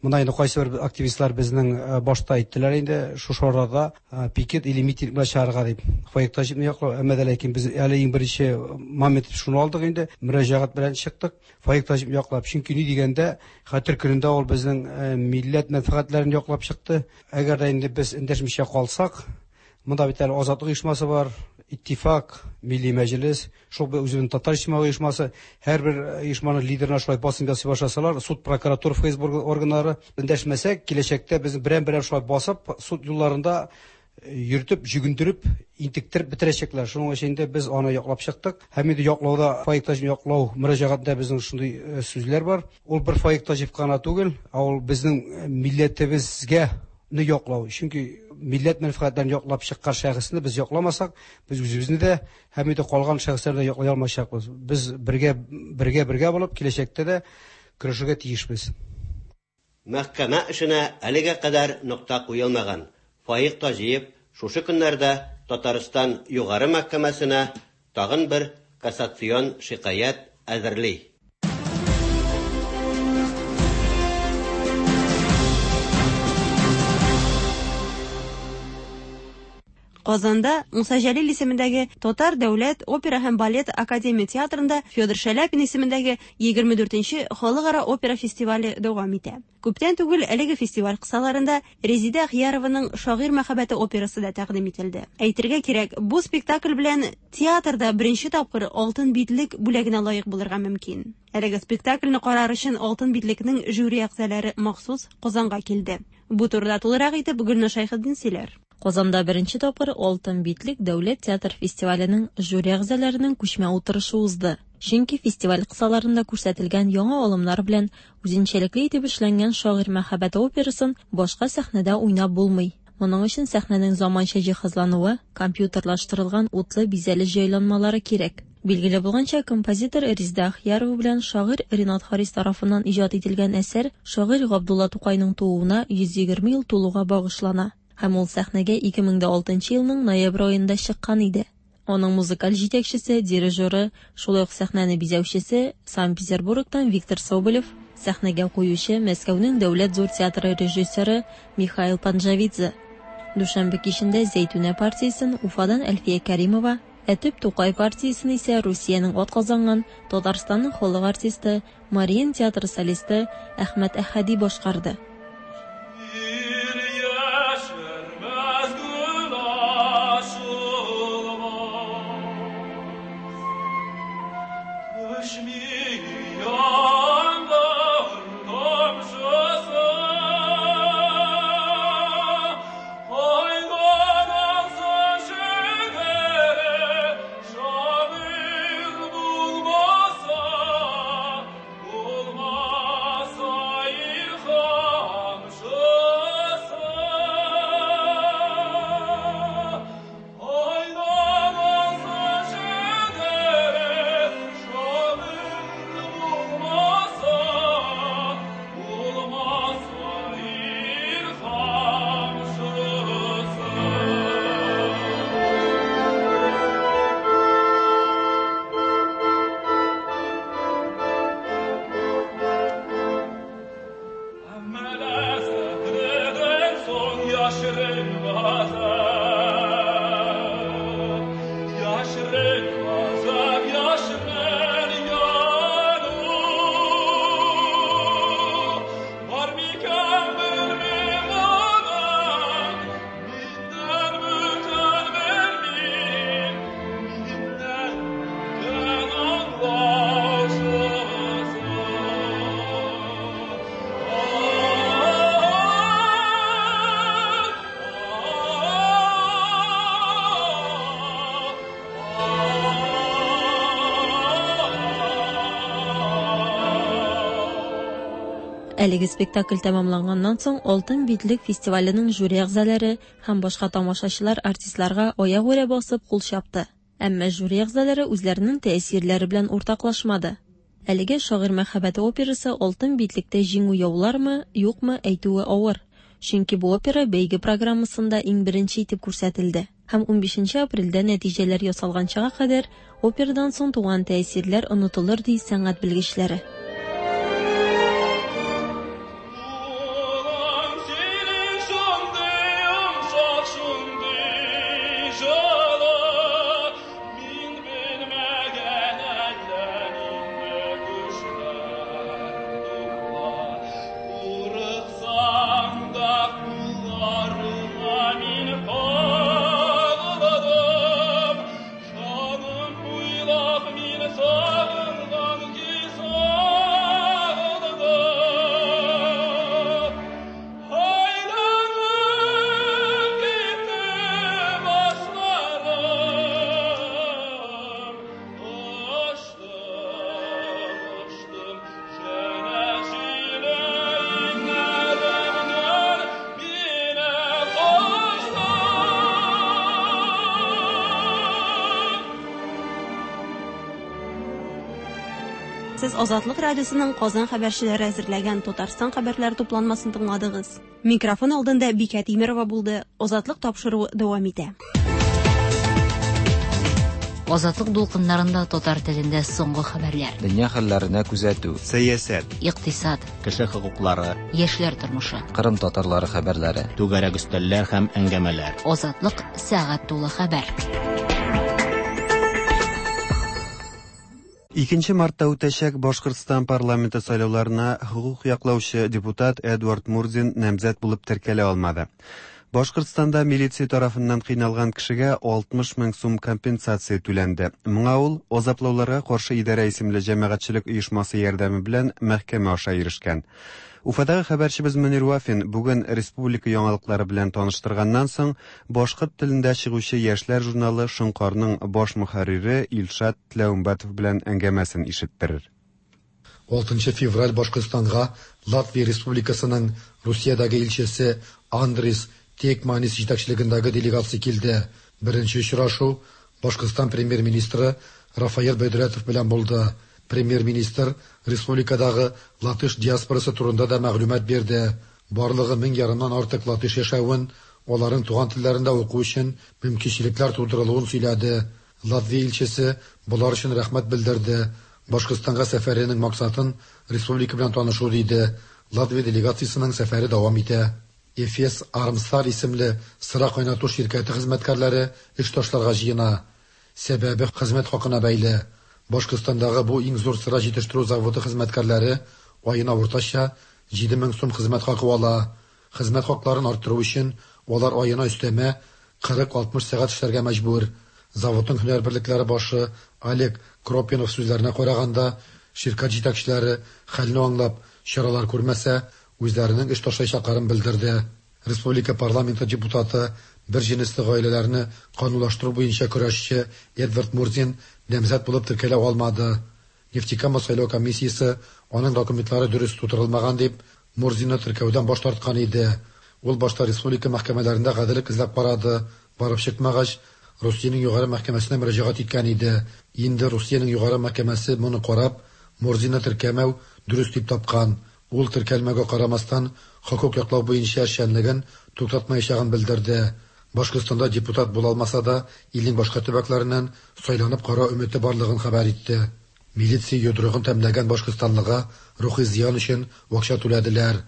Монда инде кайсы бер активистлар безнең башта әйттеләр инде шушы арада пикет или митинг белән чыгарга дип. Фаик Таҗиевны яклау, әмма дә ләкин без әле иң беренче момент шуны алдык инде, мөрәҗәгать белән чыктык. Фаик Таҗиевны яклап, чөнки ни дигәндә Хәтер көнендә ул безнең милләт мәнфәгатьләрен яклап чыкты. Әгәр дә инде без эндәшмичә калсак, монда бит әле Азатлык оешмасы бар, Иттифак, Милли Мәҗлес, шул үзенең татар иҗтимагый оешмасы, һәрбер оешманың лидерына шулай басым ясый башласалар, суд, прокуратура, Ф С Б органнары эндәшмәсәк, киләчәктә без берәм-берәм шулай басып, суд юлларында йөртеп, җөгендереп, интектереп бетерәчәкләр. Шуның өчен инде без аны яклап чыктык. Һәм инде яклауда Фаик Таҗиевны яклау мөрәҗәгатендә безнең шундый сүзләр бар. Ул бер Фаик Таҗиев кына түгел, ә ул безнең милләтебезгә не яклау. Чөнки милләт мәнфәгатьләрен яклап чыккан шәхесне без якламасак, без үзебезне дә һәм инде калган шәхесләрне дә яклый алмаячакбыз. Без бергә бергә бергә булып киләчәктә дә көрәшергә тиешбез. Мәхкәмә эшенә әлегә кадәр нокта куелмаган. Фаик Таҗиев шушы көннәрдә Татарстан Югары мәхкәмәсенә тагын бер кассацион шикаять әзерли. Казанда Муса Җәлил исемендәге Татар дәүләт опера һәм балет академия театрында Федор Шаляпин исемендәге егерме дүртенче халыкара опера фестивале дәвам итә. Күптән түгел әлеге фестиваль кысаларында Резидә Ахиярованың Шагыйрь мәхәббәте операсы да тәкъдим ителде. Әйтергә кирәк, бу спектакль белән театрда беренче тапкыр Алтын битлек бүләгенә лаек булырга мөмкин. Әлеге спектакльне карар өчен Алтын битлекнең жюри әгъзалары махсус Казанга килде. Бу турыда тулырак итеп Гөлназ Шәйхетдин сөйләр. Казанда беренче тапкыр Алтын битлек дәүләт театр фестиваленең жюри әгъзаларының күчмә утырышы узды. Чөнки фестиваль кысаларында күрсәтелгән яңа алымнар белән үзенчәлекле итеп эшләнгән Шагыйрь мәхәббәте операсын башка сәхнәдә уйнап булмый. Моның өчен сәхнәнең заманча җиһазлануы, компьютерлаштырылган утлы бизәлеш җайланмалары кирәк. Билгеле булганча, композитор Резидә Ахиярова белән шагыйрь Ренат Харис тарафыннан иҗат ителгән әсәр шагыйрь Габдулла Тукайның тууына йөз егерме ел тулуга багышлана. Һәм ул сәхнәгә ике мең дә алтынчы елның ноябрь аенда чыккан иде. Аның музыкаль җитәкчесе, дирижеры, шулай ук сәхнәне бизәүчесе Санкт-Петербургтан Виктор Соболев, сәхнәгә куючы Мәскәүнең дәүләт зур театры режиссеры Михаил Панджавидзе. Дүшәмбе кичендә Зәйтүнә партиясен Уфадан Әлфия Кәримова, ә төп Тукай партиясен исә Русиянең атказанган Татарстанның халык артисты, Мариин театры солисты Әхмәт Әхәди башкарды. Әлеге спектакль тәмамланганнан соң Алтын битлек фестиваленең жюри әгъзалары һәм башка тамашачылар артистларга аягүрә басып кул чапты. Әмма жюри әгъзалары үзләренең тәэсирләре белән уртаклашмады. Әлеге Шагыйрь мәхәббәте операсы Алтын битлектә җиңү яулармы, юкмы әйтүе авыр. Чөнки бу опера бәйге программасында иң беренче итеп күрсәтелде. Һәм унбишенче апрельдә нәтиҗәләр ясалганчага кадәр операдан соң туган тәэсирләр онытылыр ди сәнгать белгечләре. Сез Азатлык радиосының Казан хәбәрчеләре әзерләгән Татарстан хәбәрләре тупланмасын тыңладыгыз. Микрофон алдында Бикә Тимерова булды. Азатлык тапшыруы дәвам итә. Азатлык дулкыннарында татар телендә соңгы хәбәрләр. Дөнья хәлләренә күзәтү. Сәясәт. Икътисад. Кеше хокуклары. Яшьләр тормышы. Кырым татарлары хәбәрләре. Түгәрәк өстәлләр һәм әңгәмәләр. Азатлык сәгать тулы хәбәр. Икенче мартта үтәчәк Башкортстан парламенты сайлауларына хокук яклаучы депутат Эдуард Мурзин намзәт булып теркәлә алмады. Башкортстанда милиция тарафыннан кыйналган кешегә алтмыш мең сум компенсация түләнде. Моңа ул Азаплауларга каршы идарә исемле җәмәгатьчелек оешмасы ярдәме белән мәхкәмә аша ирешкән. Уфадагы хәбәрчебез Мөнир Вафин бүген республика яңалыклары белән таныштырганнан соң башкорт телендә чыгучы яшьләр журналы Шоңкарның баш мөхәррире Илшат Тләүмбәтов белән әңгәмәсен ишеттерер. Алтынчы февраль Башкортстанга Латвия Республикасының Русиядәге илчесе Андрис Текманис җитәкчелегендәге делегация килде. Беренче очрашу Башкортстан премьер-министры Рафаэль Бәйдүләтов белән булды. Премьер-министр республикадагы латыш диаспорасы турында да мәгълүмат бирде. Барлыгы мең ярымнан артык латыш яшәвен, аларның туган телләрендә уку өчен мөмкинчелекләр тудырылуын сөйләде. Латвия илчесе болар өчен рәхмәт белдерде. Башкортстанга сәфәренең максатын республика белән танышу диде. Латвия делегациясенең сәфәре дәвам итә. Эфес Армстар исемле сыра кайнату ширкәте хезмәткәрләре эш ташларга җыена. Сәбәбе хезмәт хакына бәйле. Башкортстандагы бу иң зур сыра җитештерү заводы хезмәткәрләре аена уртача җиде мең сум хезмәт хакы ала. Хезмәт хакларын арттыру өчен алар аена өстәмә кырык-алтмыш сәгать эшләргә мәҗбүр. Заводның һөнәр берлекләре башы Олег Кропинов сүзләренә караганда, ширкәт җитәкчеләре хәлне аңлап чаралар күрмәсә, үзләренең эш ташлаячакларын белдерде. Республика парламенты депутаты, бер җенесле гаиләләрне канунлаштыру буенча көрәшче Эдвард Мурзин намзәт булып теркәлә алмады. Нефтекама сайлау комиссиясе аның документлары дөрес тутырылмаган дип Мурзинны теркәүдән баш тарткан иде. Ул башта республика мәхкәмәләрендә гаделлек эзләп карады. Барып чыкмагач, Русиянең югары мәхкәмәсенә мөрәҗәгать иткән иде. Инде Русиянең югары мәхкәмәсе моны карап, Мурзинны теркәмәү дөрес дип тапкан. Ул теркәлмәгә карамастан хокук яклау буенча эшчәнлеген туктатмаячагын белдерде. Башкортстанда депутат була алмаса да, илнең башка төбәкләреннән сайланып карау өмете барлыгын хәбәр итте. Милиция йодрыгын тәмләгән башкортстанлыга рухи зыян өчен акча түләделәр.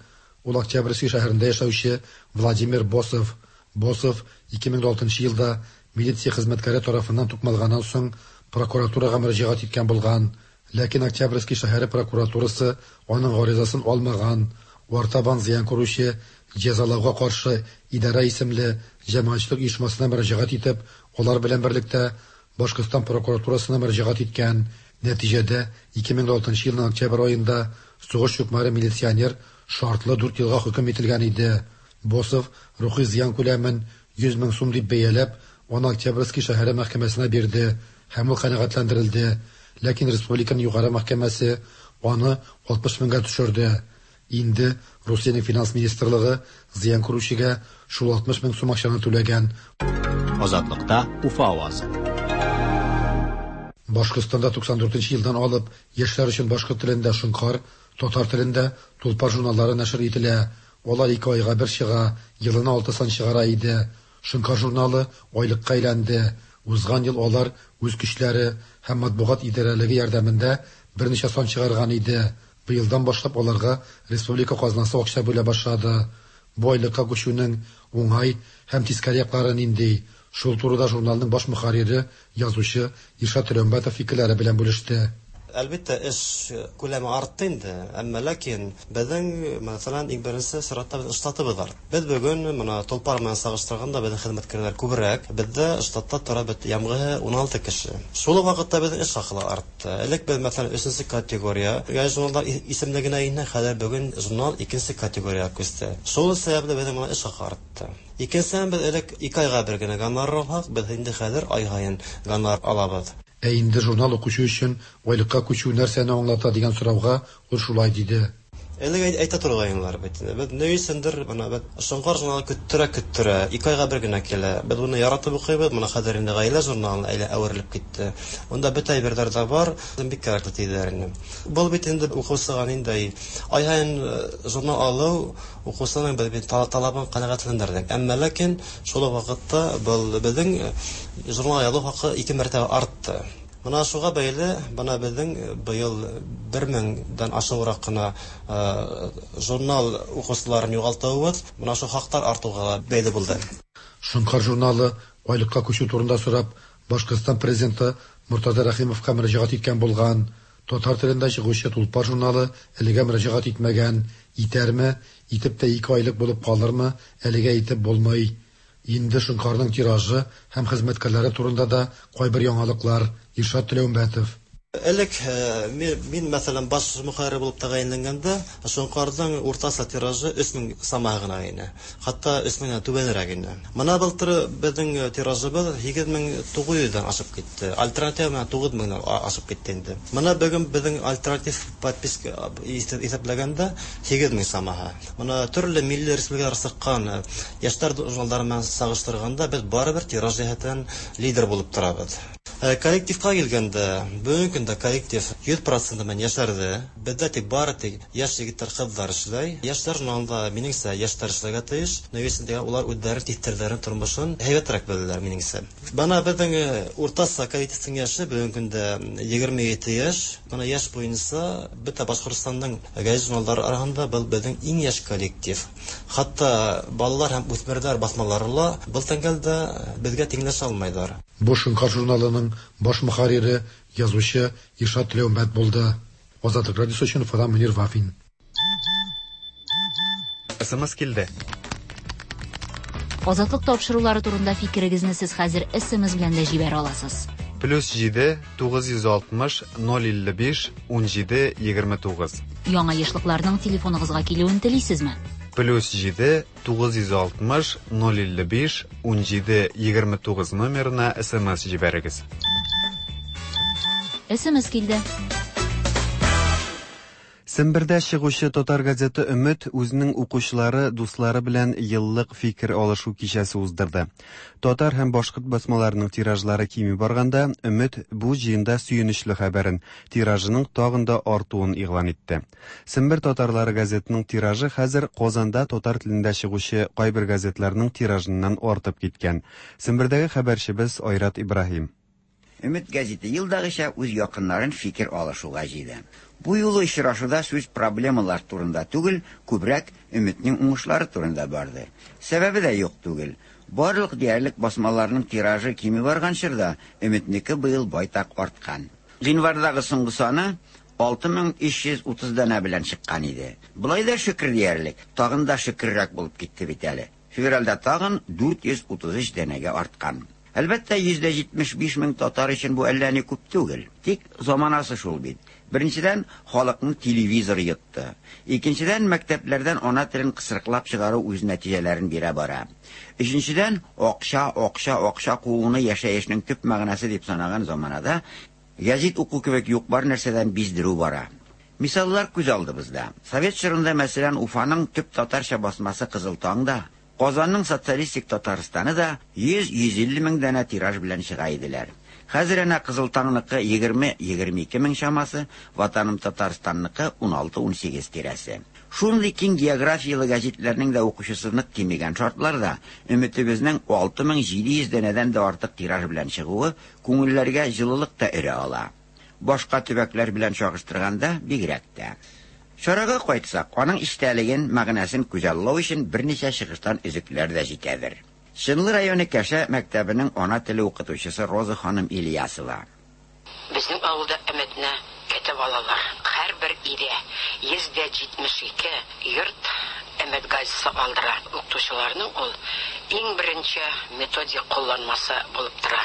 Ул Октябрьский шәһәрендә яшәүче Владимир Босов. Босов ике мең алтынчы елда милиция хезмәткәре тарафыннан тукмалганнан соң прокуратурага мөрәҗәгать иткән булган. Ләкин Октябрьский шәһәре прокуратурасы аның гаризасын алмаган. Артабан зыян күрүче җәзалауга каршы идарә исемле җәмәгатьчелек оешмасына мөрәҗәгать итеп, алар белән берлектә Башкортстан прокуратурасына мөрәҗәгать иткән. Нәтиҗәдә ике мең алтынчы елның октябрь аенда сугыш чукмары милиционер шартлы дүрт елга хөкем ителгән иде. Босов рухи зыян күләмен йөз мең сум дип бәяләп, аны Октябрьский шәһәре мәхкәмәсенә бирде һәм ул канәгатьләндерелде. Ләкин республиканың югары мәхкәмәсе аны алтмыш меңгә төшерде. Инде Русиянең финанс министрлыгы зыян күрүчегә шул алтмыш мең сум акчаны түләгән. Азатлыкта Уфа авазы. Башкортстанда туксан дүртенче елдан алып яшьләр өчен башкорт телендә Шоңкар, татар телендә Тулпар журналлары нәшер ителә. Алар ике айга бер чыга, елына алты сан чыгара иде. Шоңкар журналы айлыкка әйләнде. Узган ел алар үз көчләре һәм матбугат идарәлеге ярдәмендә берничә сан чыгарган иде. Быелдан башлап аларга республика казнасы акча бүлә башлады. Бу айлыкка күчүнең уңай һәм тискәре яклары нинди? Шул турыда журналның баш мөхәррире, язучы Илшат Төләүмбәтов фикерләре белән бүлеште. Әлбәттә, эш күләме артты инде, әмма ләкин безнең, мәсәлән, иң беренче чиратта без штатыбыз бар. Без бүген моны Тулпар белән чагыштырганда безнең хезмәткәрләр күбрәк, бездә штатта тора бит ямгы уналты кеше. Шул ук вакытта безнең эш хакы артты. Элек без, мәсәлән, өченче категория журналдар исемлегенә инде, хәзер бүген журнал икенче категорияга күчте. Шул сәбәпле безнең моны эш хакы артты. Икенчедән, без элек ике айга бер генә гонорар алсак, без инде хәзер ай һаен гонорар алабыз. Ә инде журнал укучы өчен айлыкка күчү нәрсәне аңлата дигән сорауга ул шулай диде. Элек әйтә торгайнылар бит. Без ни өчендер менә без Шоңкар журналы көттерә көттерә, ике айга бер генә килә. Без моны яратып укыйбыз, моны хәзер инде гаилә журналына әйлә әверелеп китте. Монда бөтә әйберләр дә бар, бик кирәкле диделәр инде. Бу бит инде укучыга инде ай һаен журнал алу укучының без бит талабын канәгатьләндердек. Әмма ләкин шул ук вакытта был безнең журнал алу хакы ике мәртәбә артты. Мына шуға бәйле, бына безнең быел бер меңдән ашыграк кына журнал укучыларын югалтуыбыз, мына шу хаклар артуга бәйле булды. Шоңкар журналы айлыкка күчү турында сорап, Башкортстан президенты Муртаза Рәхимовка мөрәҗәгать иткән булган. Татар телендә чыгучы Тулпар журналы әлегә мөрәҗәгать итмәгән. Итәрме, итеп тә ике айлык булып калырмы, әлегә итеп булмый. Инде Шоңкарның тиражы һәм хезмәткәрләре турында да кайбер яңалыклар. Иршат Теләүмбәтов. Элек мин, мәсәлән, баш мөхәррир булып тәгаенләнгәндә, Шоңкарның уртача тиражы өч мең сама гына иде. Хәтта өч меңнән түбәнрәк иде. Мына былтыр безнең тиражыбыз һигез мең тугыз йөздән ашып китте. Альтернатив менә тугыз меңнән ашып китте инде. Мына бүген безнең альтернатив подписка исәпләгәндә һигез мең самаһы. Мына төрле милли республикалар чыккан яшьләр журналлары белән чагыштырганда без барыбер тираж җәһәтеннән лидер булып торабыз. Коллективка килгәндә, бүгенге көндә коллектив йөз процент белән яшәрде. Бездә тик бары тик яшь егетләр, кызлар эшләй. Яшьләр журналында минеңчә яшьләр эшләргә тиеш. Нәтиҗәсендә улар үзләре типтерләрен тормышын һәйбәтрәк беләләр минеңчә. Бана безнең уртача коллективның яше бүгенге көндә егерме ете яшь. Бана яшь буенча бөтә Башкортстанның гәзит журналлары арасында был безнең иң яшь коллектив. Хәтта балалар һәм үсмерләр басмалары ла был тәңгәлдә безгә тиңләшә алмыйлар. Бу Шоңкар журналының баш мөхәррире, язучы Иршат Теләүмбәт булды. Азатлык радиосы өчен Уфадан Мөнир Вафин. СМС килде. Азатлык тапшырулары турында фикерегезне сез хәзер СМС белән дә җибәрә аласыз. Плюс җиде тугыз йөз алтмыш ноль илле биш ун җиде егерме тугыз. Яңа ешлыкларның телефоныгызга килүен телисезме? Плюс җиде тугыз йөз алтмыш ноль илле биш ун җиде егерме тугыз номерына СМС җибәрегез. СМС килде. Сембердә чыгучы татар газеты Өмет үзенең укучылары, дуслары белән еллык фикер алышу кичәсе уздырды. Татар һәм башкорт басмаларының тиражлары кими барганда, Өмет бу җыенда сөенечле хәбәрен, тиражының тагын да артуын игълан итте. Сембер татарлары газетының тиражы хәзер Казанда татар телендә чыгучы кайбер газетларның тиражыннан артып киткән. Сембердәге хәбәрчебез Айрат Ибраһим. Өмет газеты елдагыча үз якыннарын фикер алышуга җыйды. Бу юлы очрашуда сүз проблемалар турында түгел, күбрәк Өметнең уңышлары турында барды. Сәбәбе дә юк түгел. Барлык диярлек басмаларның тиражы кими барган чорда Өметнеке быел байтак арткан. Гыйнвардагы соңгы саны алты мең өч йөз утыз данә белән чыккан иде. Болай да шөкер диярлек, тагын да шөкеррәк булып китте бит әле. Февральдә тагын дүрт йөз утыз өч данәгә арткан. Әлбәттә, йөз дә җитмеш биш мең татар өчен бу әллә ни күп түгел. Тик заманасы шул бит. Беренчедән, халыкны телевизор йотты. Икенчедән, мәктәпләрдән ана телен кысрыклап чыгару үз нәтиҗәләрен бирә бара. Өченчедән, акча, акча, акча кууны яшәешнең төп мәгънәсе дип санаган заманада гәзит уку кебек юк бар нәрсәдән биздерү бара. Мисаллар күз алдыбызда. Совет чорында, мәсәлән, Уфаның төп татарча басмасы Кызыл таң да, Казанның социалистик Татарстаны да йөз-йөз илле мең данә тираж белән чыга иделәр. Хәзер әнә Кызыл таңныкы егерме-егерме ике мең чамасы, Ватаным Татарстанныкы ун алты-ун сигез тирәсе. Шундый киң географиялы гәзитләрнең дә укучысы нык кимегән шартларда Өметебезнең алты мең җиде йөз данәдән дә артык тираж белән чыгуы күңелләргә җылылык та өрә ала. Башка төбәкләр белән чагыштырганда бигрәк тә. Чарага кайтсак, аның истәлеген, мәгънәсен күзаллау өчен берничә чыгыштан өзекләр дә җитәдер. Чынлы районы Кәшә мәктәбенең ана теле укытучысы Роза ханым Ильясова. Безнең авылда Өметне көтеп алалар. Һәрбер өйдә йөз дә җитмеш ике йорт Өмет газеты алдыра. Укытучыларның ул иң беренче методик кулланмасы булып тора.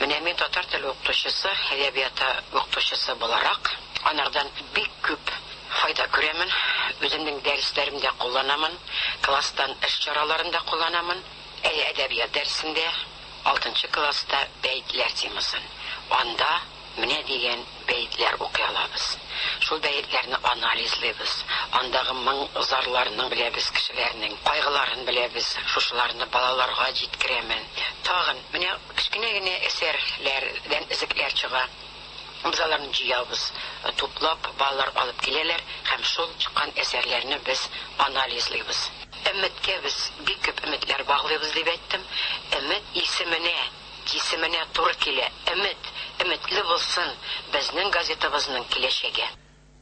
Менә мин татар теле укытучысы, әдәбияты укытучысы буларак, анардан бик күп файда күрәмен, үземнең дәресләремдә кулланамын, класстан эш чараларында кулланамын. Әй, әдәбият дәресендә алтынчы класста бәйтләр темасын. Анда менә дигән бәйтләр укый алабыз. Шул Шул бәетләрне анализлыйбыз. Андагы моң зарларны беләбез кешеләрнең, кайгыларын беләбез. Шушыларны балаларга җиткерәмен. Тагын менә кечкенә генә әсәрләрдән өзекләр чыга. Без аларны җыябыз, туплап балалар алып киләләр һәм шул чыккан әсәрләрне без анализлыйбыз. Өметкә без бик күп өметләр баглыйбыз дип әйттем. Өмет исеменә, җисеменә туры килә. Өмет, өметле булсын безнең газетабызның киләчәге.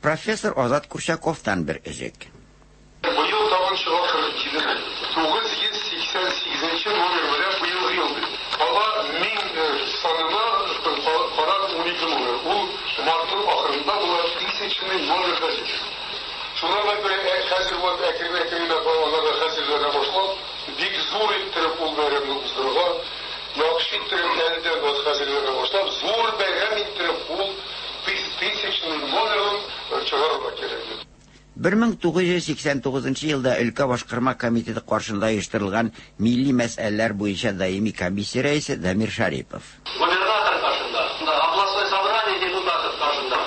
Профессор Азат Курчаковтан бер өзек. Быел тагын чыга кырык җиде тугыз йөз сиксән сигезенче номер белән быелгы ел. Кала мең санына карап унике номер. Ул мартның ахырында була тысячный номер газеты. Шуңа күрә хәзер вот әкрен-әкренләп аларга хәзерләнә башлап, бик зур иттереп ул бәйрәмне уздырырга, яхшы иттереп әледән вот хәзерләнә башлап, зур бәйрәм иттереп ул тысячный номерын чыгарырга кирәк. бер мең тугыз йөз сиксән тугызынчы елда өлкә башкарма комитеты каршында оештырылган милли мәсьәләләр буенча даими комиссия рәисе Дамир Шарипов. Губернатор каршында, областной собрание депутатов каршында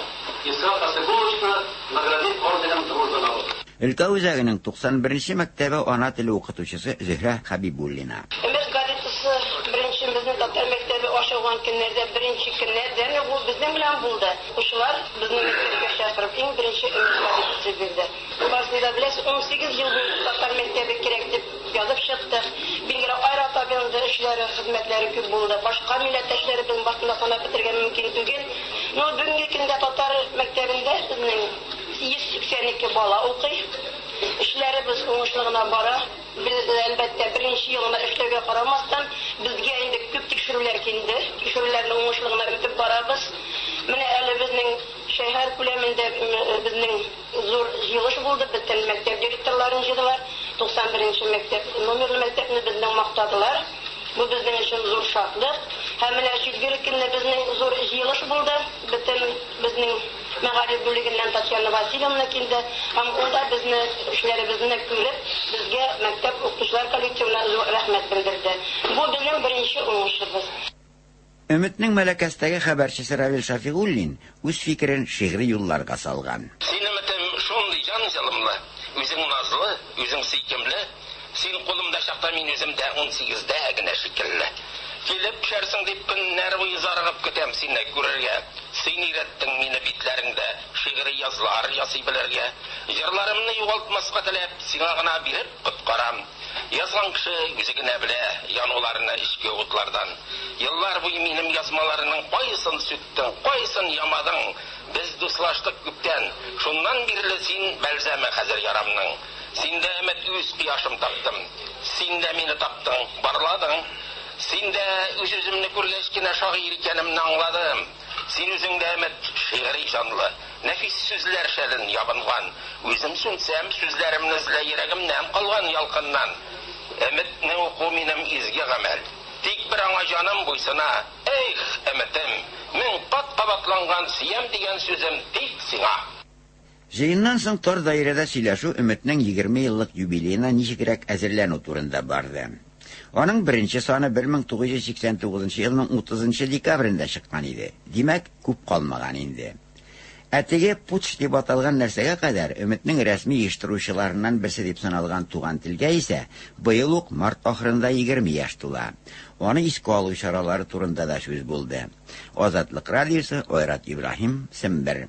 Исхак Хасибулловичны наградить орденом Дружбы народа. Өлкә үзәгенең туксан беренче мәктәбе ана теле укытучысы Зөһрә Хабибуллина. Өмет газетасы беренче безнең татар мәктәбе ачылган көннәрдә беренче көннәрдән ул безнең белән булды. Укучылар безне мәктәпкә чакырып иң беренче Өмет газетасы бирде. Барысын да беләсез, ун сигез ел буе татар мәктәбе кирәк дип язып чыктык. Билгеле, Айрат абыйның да эшләре, хезмәтләре күп булды. Башка милләттәшләребезнең башында санап бетерергә мөмкин түгел. Но бүгенге көндә татар мәктәбендә безнең йөз сиксән ике бала укый. Эшләребез уңышлы гына бара. Без әлбәттә беренче елына эшләүгә карамастан безгә инде күп тикшерүләр килде. Тикшерүләрне уңышлы гына үтеп барабыз. Менә әле безнең шәһәр күләмендә безнең зур җыелыш булды. Бөтен мәктәп директорларын җыйдылар. туксан беренче мәктәп номерлы мәктәпне безнең мактадылар. Бу безнең өчен зур шатлык. Һәм менә четверг көнне безнең зур җыелыш булды. Бөтен безнең мәгариф бүлегеннән Татьяна Васильевна килде. Һәм ул да безне эшләребезне күреп, безгә мәктәп укытучылар коллективына зур рәхмәт белдерде. Бу безнең беренче уңышыбыз. Өметнең Мәләкәстәге хәбәрчесе Равил Шафигуллин үз фикерен шигъри юлларга салган. Син өметем шундый җан җылымлы, үзең назлы, үзең сөйкемле. Син кулымда чакта мин үземдә ун сигездә генә шикелле. Килеп төшәрсең дип көннәр буе зарыгып көтәм сине күрергә. Син өйрәттең мине битләреңдә шигъри язлар ясый белергә. Җырларымны югалтмаска теләп, сиңа гына биреп коткарам. Язган кеше үзе генә белә януларны эчке утлардан. Еллар буе минем язмаларының кайсын сүттең, кайсын ямадың. Без дуслаштык күптән. Шуннан бирле син бәлзәме хәзер ярамның. Син дә өмет үз кояшым таптым. Син дә мине таптың, барладың. Син дә үз-үземне күргәч кенә шагыйрь икәнемне аңладым. Син үзең дә өмет шигъри җанлы, нәфис сүзләр шәлен ябынган. Үзем сүнсәм, сүзләремне эзлә йөрәгемнән калган ялкыннан. Өметне уку минем изге гамәл. Тик бер аңа җаным буйсына. Эх, өметем, мең кат кабатланган сөям дигән сүзем тик сиңа. Җыеннан соң тар даирәдә сөйләшү Өметнең егерме еллык юбилеена ничегрәк әзерләнү турында барды. Аның беренче саны бер мең тугыз йөз сиксән тугызынчы елның утызынчы декабрендә чыккан иде. Димәк, күп калмаган инде. Ә теге путч дип аталган нәрсәгә кадәр Өметнең рәсми оештыручыларыннан берсе дип саналган Туган телгә исә быел ук март ахырында егерме яшь тула. Аны искә алу чаралары турында да сүз булды. Азатлык радиосы, Айрат Ибраһим, Сембер.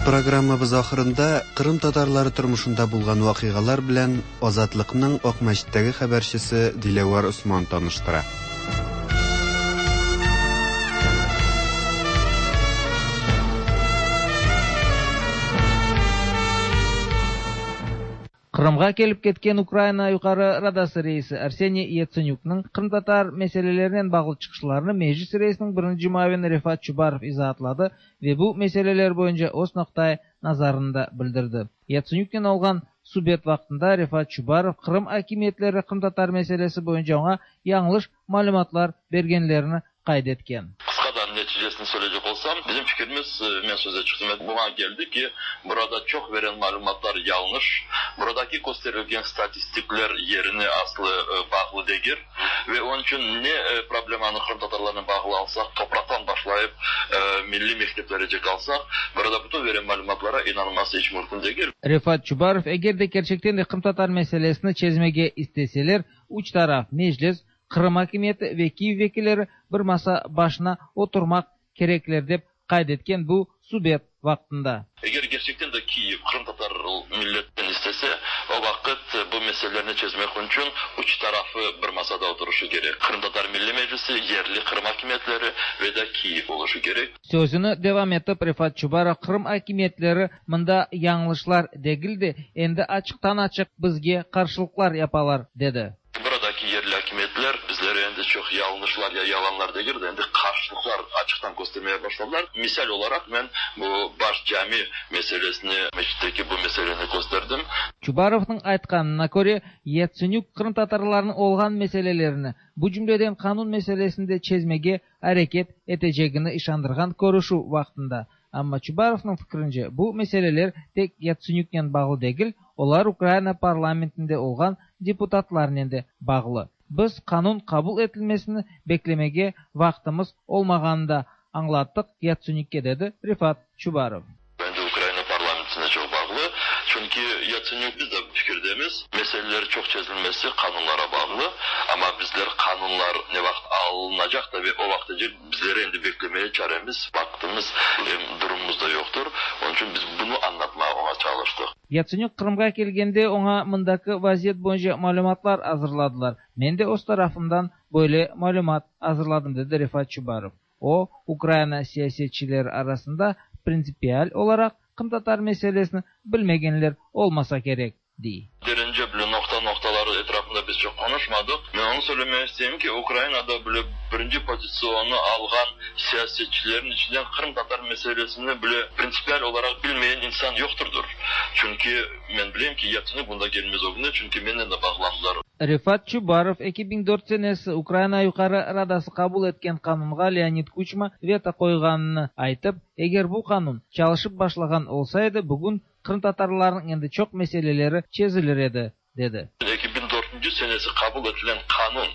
Программабыз ахырында Кырым татарлары тормышында булган вакыйгалар белән Азатлыкның Акмәчеттәге хәбәрчесе Диләвәр Усман таныштыра. Кырымга келип кеткен Украина Югары Радасы рейси Арсений Яценюкның кырымтатар мәсьәләләреннән баглы чыгышларын Мечис рейсинең беренче муавини Рефат Чубаров изаһатлады вә бу мәсьәләләр буенча үз ноктай назарын да белдерде. Яценюктан алган субет вакытында Рефат Чубаров Кырым хакимиятләре кырымтатар мәсьәләсе буенча аңа яңлыш мәгълүматлар бергәннәрен кайд иткән. Qısqa neticesini söyleyecek olsam, bizim fikrimiz, men söze çıktım, buna geldi ki burada çok veren malumatlar yanlış. Buradaki gösterilgen statistikler yerine aslı bağlı değil. Ve onun için ne problemanı Kırım Tatarlarına bağlı alsak, topraktan başlayıp e, milli mekteplerece kalsak, burada bütün veren malumatlara inanılması hiç mümkün değil. Refat Çubarov, eger de gerçekten de Kırım Tatar meselesini çezmege isteseler, üç taraf meclis, Kırım hakimiyeti ve Kiyev vekilleri bir masa başına oturmak gerekler dep kaydetken bu subet vaqtında. Eğer gerçekten de Kiyev Kırım Tatar milletten istese, o vakit bu meselelerini çözmek için üç tarafı bir masada oturuşu gerek. Kırım Tatar Milli Meclisi, yerli Kırım hakimiyetleri ve de Kiyev oluşu gerek. Sözünü devam etip Refat Çubarov, Kırım hakimiyetleri mında yanlışlar degildi, endi açıktan açık bizge karşılıklar yapalar dedi. Buradaki yerli hakimiyetler bizlere endi çok yanlışlar ya yalanlar değil de endi karşılıklar açıktan göstermeye başladılar. Misal olarak ben bu baş cami meselesini, meçitteki bu meseleni gösterdim. Çubarov'un aytqanına köre, Yatsenük Kırım Tatarlarının olğan meselelerini, bu cümleden kanun meselesinde çezmege hareket etecegini işandırğan körüşü vaqtında. Amma Çubarov'un fikrince bu meseleler tek Yatsenüknen bağlı değil, olar Ukrayna parlamentinde olğan deputatlarnen de bağlı. Biz kanun kabul etilmesini beklemege vaqtımız olmağanını da anlattık Yatsenükke dedi Refat Çubarov. Bence Ukrayna parlamentine çok bağlı. Çünkü Yatsenük biz de fikirdemiz. Meseleleri çok çözülmesi kanunlara bağlı. Ama bizler kanunlar ne vakit alınacak da ve o vaktice bizleri endi beklemeye çaremiz, vaktimiz, durumumuz da yoktur. Onun için biz bunu anlatmaya ona çalıştık. Yatsenük Kırım'a kelgende ona mındaki vaziyet boyunca malumatlar hazırladılar. Men de öz tarafımdan böyle malumat hazırladım dedi Refat Çubarov. O, Ukrayna siyasetçileri arasında prinsipial olarak Kırım Tatar meselesini bilmegenler olmasa gerek diye. Derince bile nokta noktaları etrafında biz çok konuşmadık. Ben onu söylemek isteyeyim ki Ukrayna'da bile birinci pozisyonu algan siyasetçilerin içinden Kırım Tatar meselesini bile prinsipiyel olarak bilmeyen insan yokturdur. Çünkü ben bileyim ki Yatsenük bunda gelmez o günde, çünkü benimle de bağlandılar. Refat Çubarov iki bin dört senesi Ukrayna Yukarı Radası kabul etken kanunga Leonid Kuçma veto koyganını aytıp, eğer bu kanun çalışıp başlagan olsaydı bugün Kırım Tatarlarının endi çok meseleleri çezilir edi, dedi. iki bin dördüncü senesi kabul edilen kanun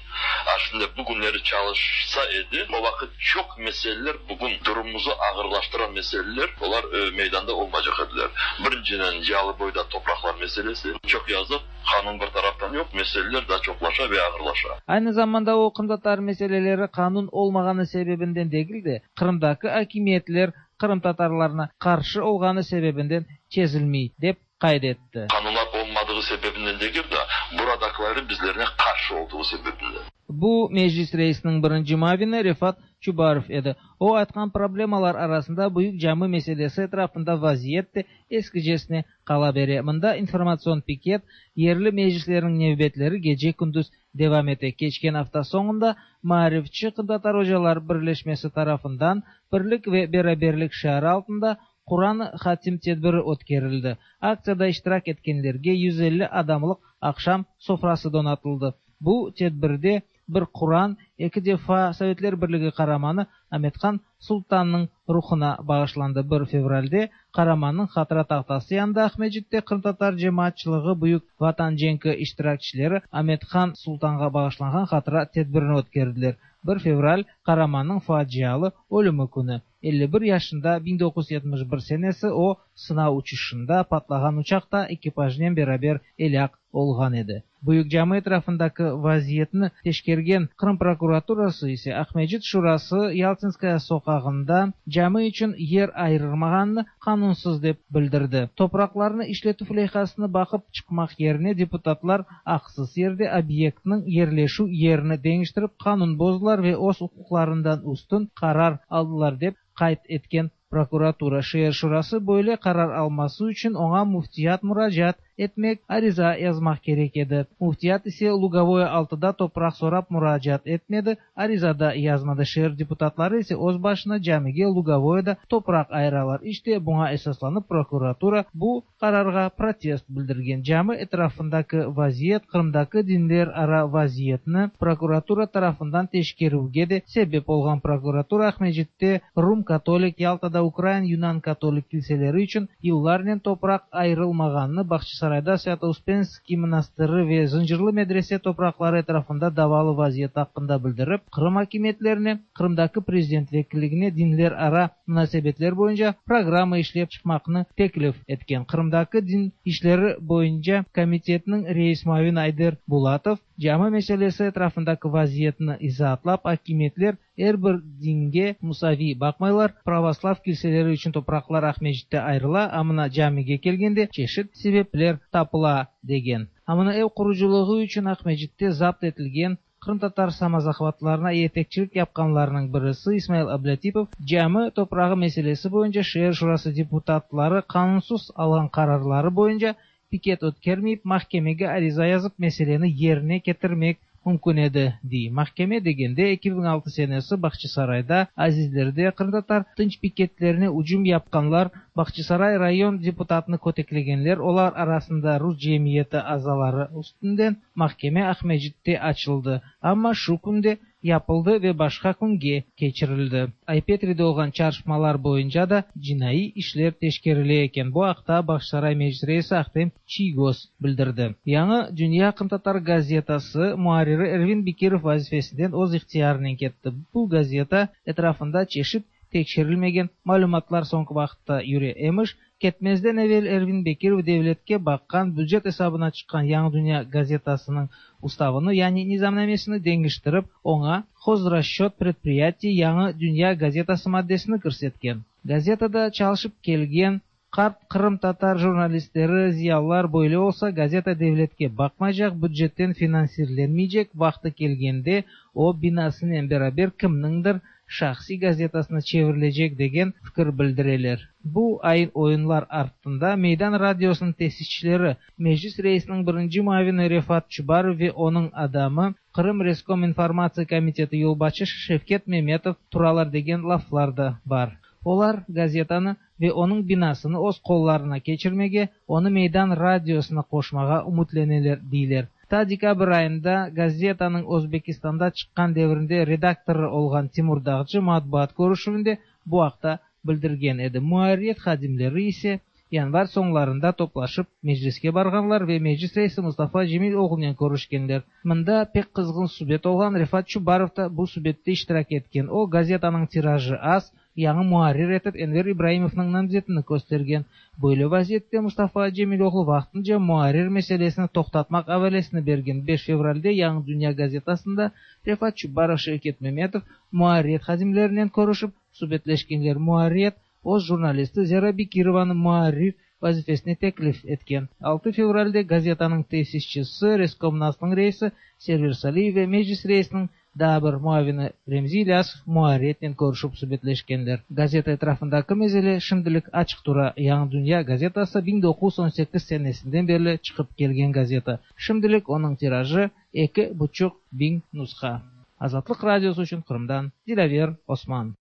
aslında bugünleri çalışsa idi, o vakit çok meseleler, bugün durumumuzu ağırlaştıran meseleler, onlar e, meydanda olmayacak ediler. Birinciden Yalıboy'da topraklar meselesi, çok yazık, kanun bir taraftan yok, meseleler daha çoklaşa ve ağırlaşa. Aynı zamanda o Kırım Tatar meseleleri kanun olmağanı sebebinden değil de, Kırım'daki hakimiyetler Kırım Tatarlarına karşı olğanı sebebinden çezilmey dep kaydetti. Kanunlar olmadığı sebebinden değil de buradakilerin bizlerine karşı olduğu sebebinden. Bu meclis reisinin birinci mavini Refat Çubarov edi. O aytqan problemalar arasında büyük cami meselesi etrafında vaziyet de eskicesine qala bere. Mında informasyon piket, yerli meclislerin nevbetleri gece gündüz devam ete. Keçken hafta sonunda Maarifçi Kırım Tatar Hocalar Birleşmesi tarafından birlik ve beraberlik şiarı altında Kur'an hatim tedbiri ötkerildi. Aktsiyada iştirak etkenlerge yüz elli adamlık akşam sofrası donatıldı. Bu tedbirde bir Kur'an, iki defa Sovetler Birligi qaramanı Amethan Sultanның ruhuna bağışlandı. bir fevralde Qaramanның hatıra tahtası yanında Aqmescitte Kırım Tatar cemaatçılığı Büyük Vatan cenki iştirakçileri Amethan Sultanға bağışlanğan hatıra tedbirini ötkerdiler. bir fevral Qaramanның facialı ölümü күні. elli bir yaşında bin dokuz yüz yetmiş bir senesi o sınav uçuşunda patlağan uçaqta ekipajnen beraber elak olğan edi. Büyük cami etrafındaki vaziyetni teşkergen Kırım prokuraturası ise Aqmescit Şurası Yaltinskaya soqağında cami içün yer ayırmağanını qanunsız dep bildirdi. Topraqlarını işletüv leyhasını baqıp çıqmaq yerine deputatlar aqsız yerde obyektniñ yerleşüv yerini deñiştirip qanun bozdılar ve öz uquqlarından üstün qarar aldılar dep qayd etken prokuratura. Şeer şurası böyle qarar alması içün oña müftiyat muracaat etmek, ariza yazmaq kerek edi. Müftiyat ise Lugovoye altıda topraq sorap muracaat etmedi, ariza da yazmadı. Şeer deputatları ise öz başına camige Lugovoyeda topraq ayıralar. İşte buña esaslanıp prokuratura bu qararğa protest bildirgen. Cami etrafındaki vaziyet Qırımdaki dinler ara vaziyetni prokuratura tarafından teşkerüvge de sebep olğan. Prokuratura Aqmescitte Rum katolik, Yaltada Ukrain Yunan katolik kilseleri içün yıllarnen topraq ayırılmağanını, Bağçasarayda Svято-Uspenskiy monastırı ve Zıncırlı medrese topraqları etrafında davalı vaziyet aqqında bildirip, Qırım akimiyetlerine, Qırımdaki prezident vekilligine dinler ara munasebetler boyunca programma işlep çıqmaqnı teklif etken. Qırımdaki din işleri boyunca komitetiniñ reis muavini Ayder Bulatov cami meselesi etrafındaki vaziyetni izaatlap, akimiyetler er bir dinge musaviy baqmaylar, pravoslav kilseleri içün topraqlar Aqmescitte ayırıla, a mına camige kelgende çeşit sebepler tapıla degen. A mına ev qurucılığı içün Aqmescitte zapt etilgen qırımtatar samozahvatlarına yetekçilik yapqanlarnıñ birisi İsmail Ablâtipov cami toprağı meselesi boyunca şeer şurası deputatları qanunsız alğan qararları boyunca piket ötkermeyip mahkemege ariza yazıp meseleni yerine ketirmek mümkün edi, dey. Mahkeme degende eki biñ altı senesi Bağçasarayda Azizlerde qırımtatar tınç piketlerine ücüm yapqanlar, Bağçasaray rayon deputatını köteklegenler, olar arasında rus cemiyeti azaları üstünden mahkeme Aqmescitte açıldı. Amma şu künde yapıldı ve başqa künge keçirildi. Aypetride olğan çarpışmalar boyunca da cinaiy işler teşkerile eken. Bu aqta Bağçasaray Meclis reisi Ahtem Çiygoz bildirdi. Yañı Dünya qırımtatar gazetası muarriri Ervin Bekirov vazifesinden öz ihtiyarınen ketti. Bu gazeta etrafında çeşit tekşerilmegen malümatlar soñki vaqıtta yüre emiş. Ketmezden evel Ervin Bekirov devletke baqqan bücet esabına çıqqan Yañı Dünya gazetasınıñ ustavını, yani nizamnamesini deñiştirip, oña Хозрасчет предприятий Yañı Dünya gazetası maddesini kirsetken. Gazetada çalışıp kelgen qart qırımtatar jurnalistleri, ziyalılar böyle olsa, gazeta devletke baqmaycaq, bücetten finansirlenmeycek, vaqtı kelgende o binasınen beraber kimniñdir şahsiy gazetasına çevirilecek degen fikir bildireler. Bu ayın-oyunlar artında Meydan radiosınıñ tesisçileri, Meclis reisiniñ birinci muavini Refat Çubarov ve onıñ adamı Qırım Reskominformatsiya komiteti yolbaşçısı Şevket Memetov turalar degen laflar da bar. Olar gazetanı ve onıñ binasını öz qollarına keçirmege, onı Meydan radiosına qoşmağa ümütleneler, deyler. Ta dekabr ayında gazetanıñ Özbekistanda çıqqan devrinde redaktorı olğan Timur Dağcı matbuat körüşüvinde bu aqta bildirgen edi. Muarririyet hadimleri ise yanvar soñlarında toplaşıp mecliske barğanlar ve meclis reisi Mustafa Cemiloğlunen körüşkenler. Mında pek qızğın subet olğan. Refat Çubarov da bu subette iştirak etken. O, gazetanıñ tirajı az, yañı muarrir etip Enver İbraimovnıñ namzetini köstergen. Böyle vaziyette Mustafa Cemiloğlu vaqtınca muarrir meselesini toqtatmaq avalesini bergen. Beş fevralde Yañı Dünya gazetasında Refat Çubarov, Şevket Memetov muarririyet hadimlerinen körüşip subetleşkenler. Muarririyet öz jurnalisti Zera Bekirovanı muarrir vazifesine teklif etken. Altı fevralde gazetanıñ tesisçisi, Reskomnasnıñ reisi Server Saliyev ve Meclis reisiniñ daa bir muavini Remzi İlyasov muarririyetnen körüşip subetleşkenler. Gazeta etrafındaki mesele şimdilik açıq tura. Yañı Dünya gazetası biñ doquz yüz on sekiz senesinden berli çıqıp kelgen gazeta. Şimdilik onıñ tirajı eki buçuq biñ nusha. Azatlıq radiosı içün Qırımdan Dilâver Osman.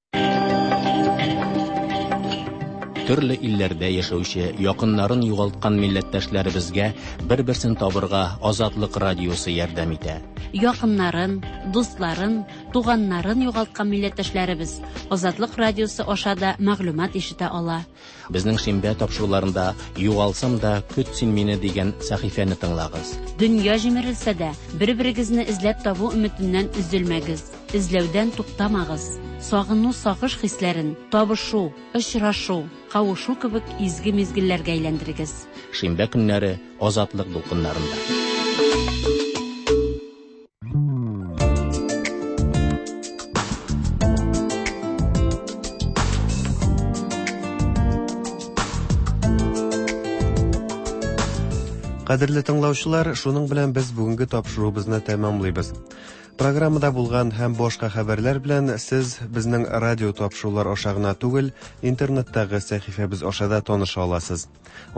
Төрле илләрдә яшәүче якыннарын югалткан милләттәшләребезгә бер-берсен табырга Азатлык радиосы ярдәм итә. Якыннарын, дусларын, туганнарын югалткан милләттәшләребез Азатлык радиосы аша да мәгълүмат ишетә ала. Безнең шимбә тапшыруларында «Югалсам да, көт син мине» дигән сәхифәне тыңлагыз. Дөнья җимерелсә дә, бер-берегезне эзләп табу өметеннән өзелмәгез, эзләүдән туктамагыз. Сагыну, сагыш хисләрен табышу, очрашу, кавышу кебек изге мизгелләргә әйләндерегез. Шимбә көннәре Азатлык дулкыннарында. Кадерле тыңлаучылар, шуның белән без бүгенге тапшыруыбызны тәмамлыйбыз. Программада булган һәм башка хәбәрләр белән сез безнең радио тапшырулар аша гына түгел, интернеттагы сәхифәбез аша да таныша аласыз.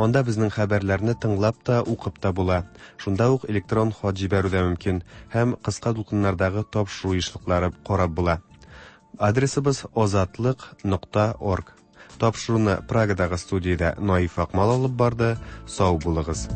Анда безнең хәбәрләрне тыңлап та, укып та була. Шунда ук электрон хат җибәрү дә мөмкин һәм кыска дулкыннардагы тапшыру ешлыклары карап була. Адресыбыз озатлык нокта орг. Тапшыруны Прагадагы студиядә Наиф Акмал алып барды. Сау булыгыз.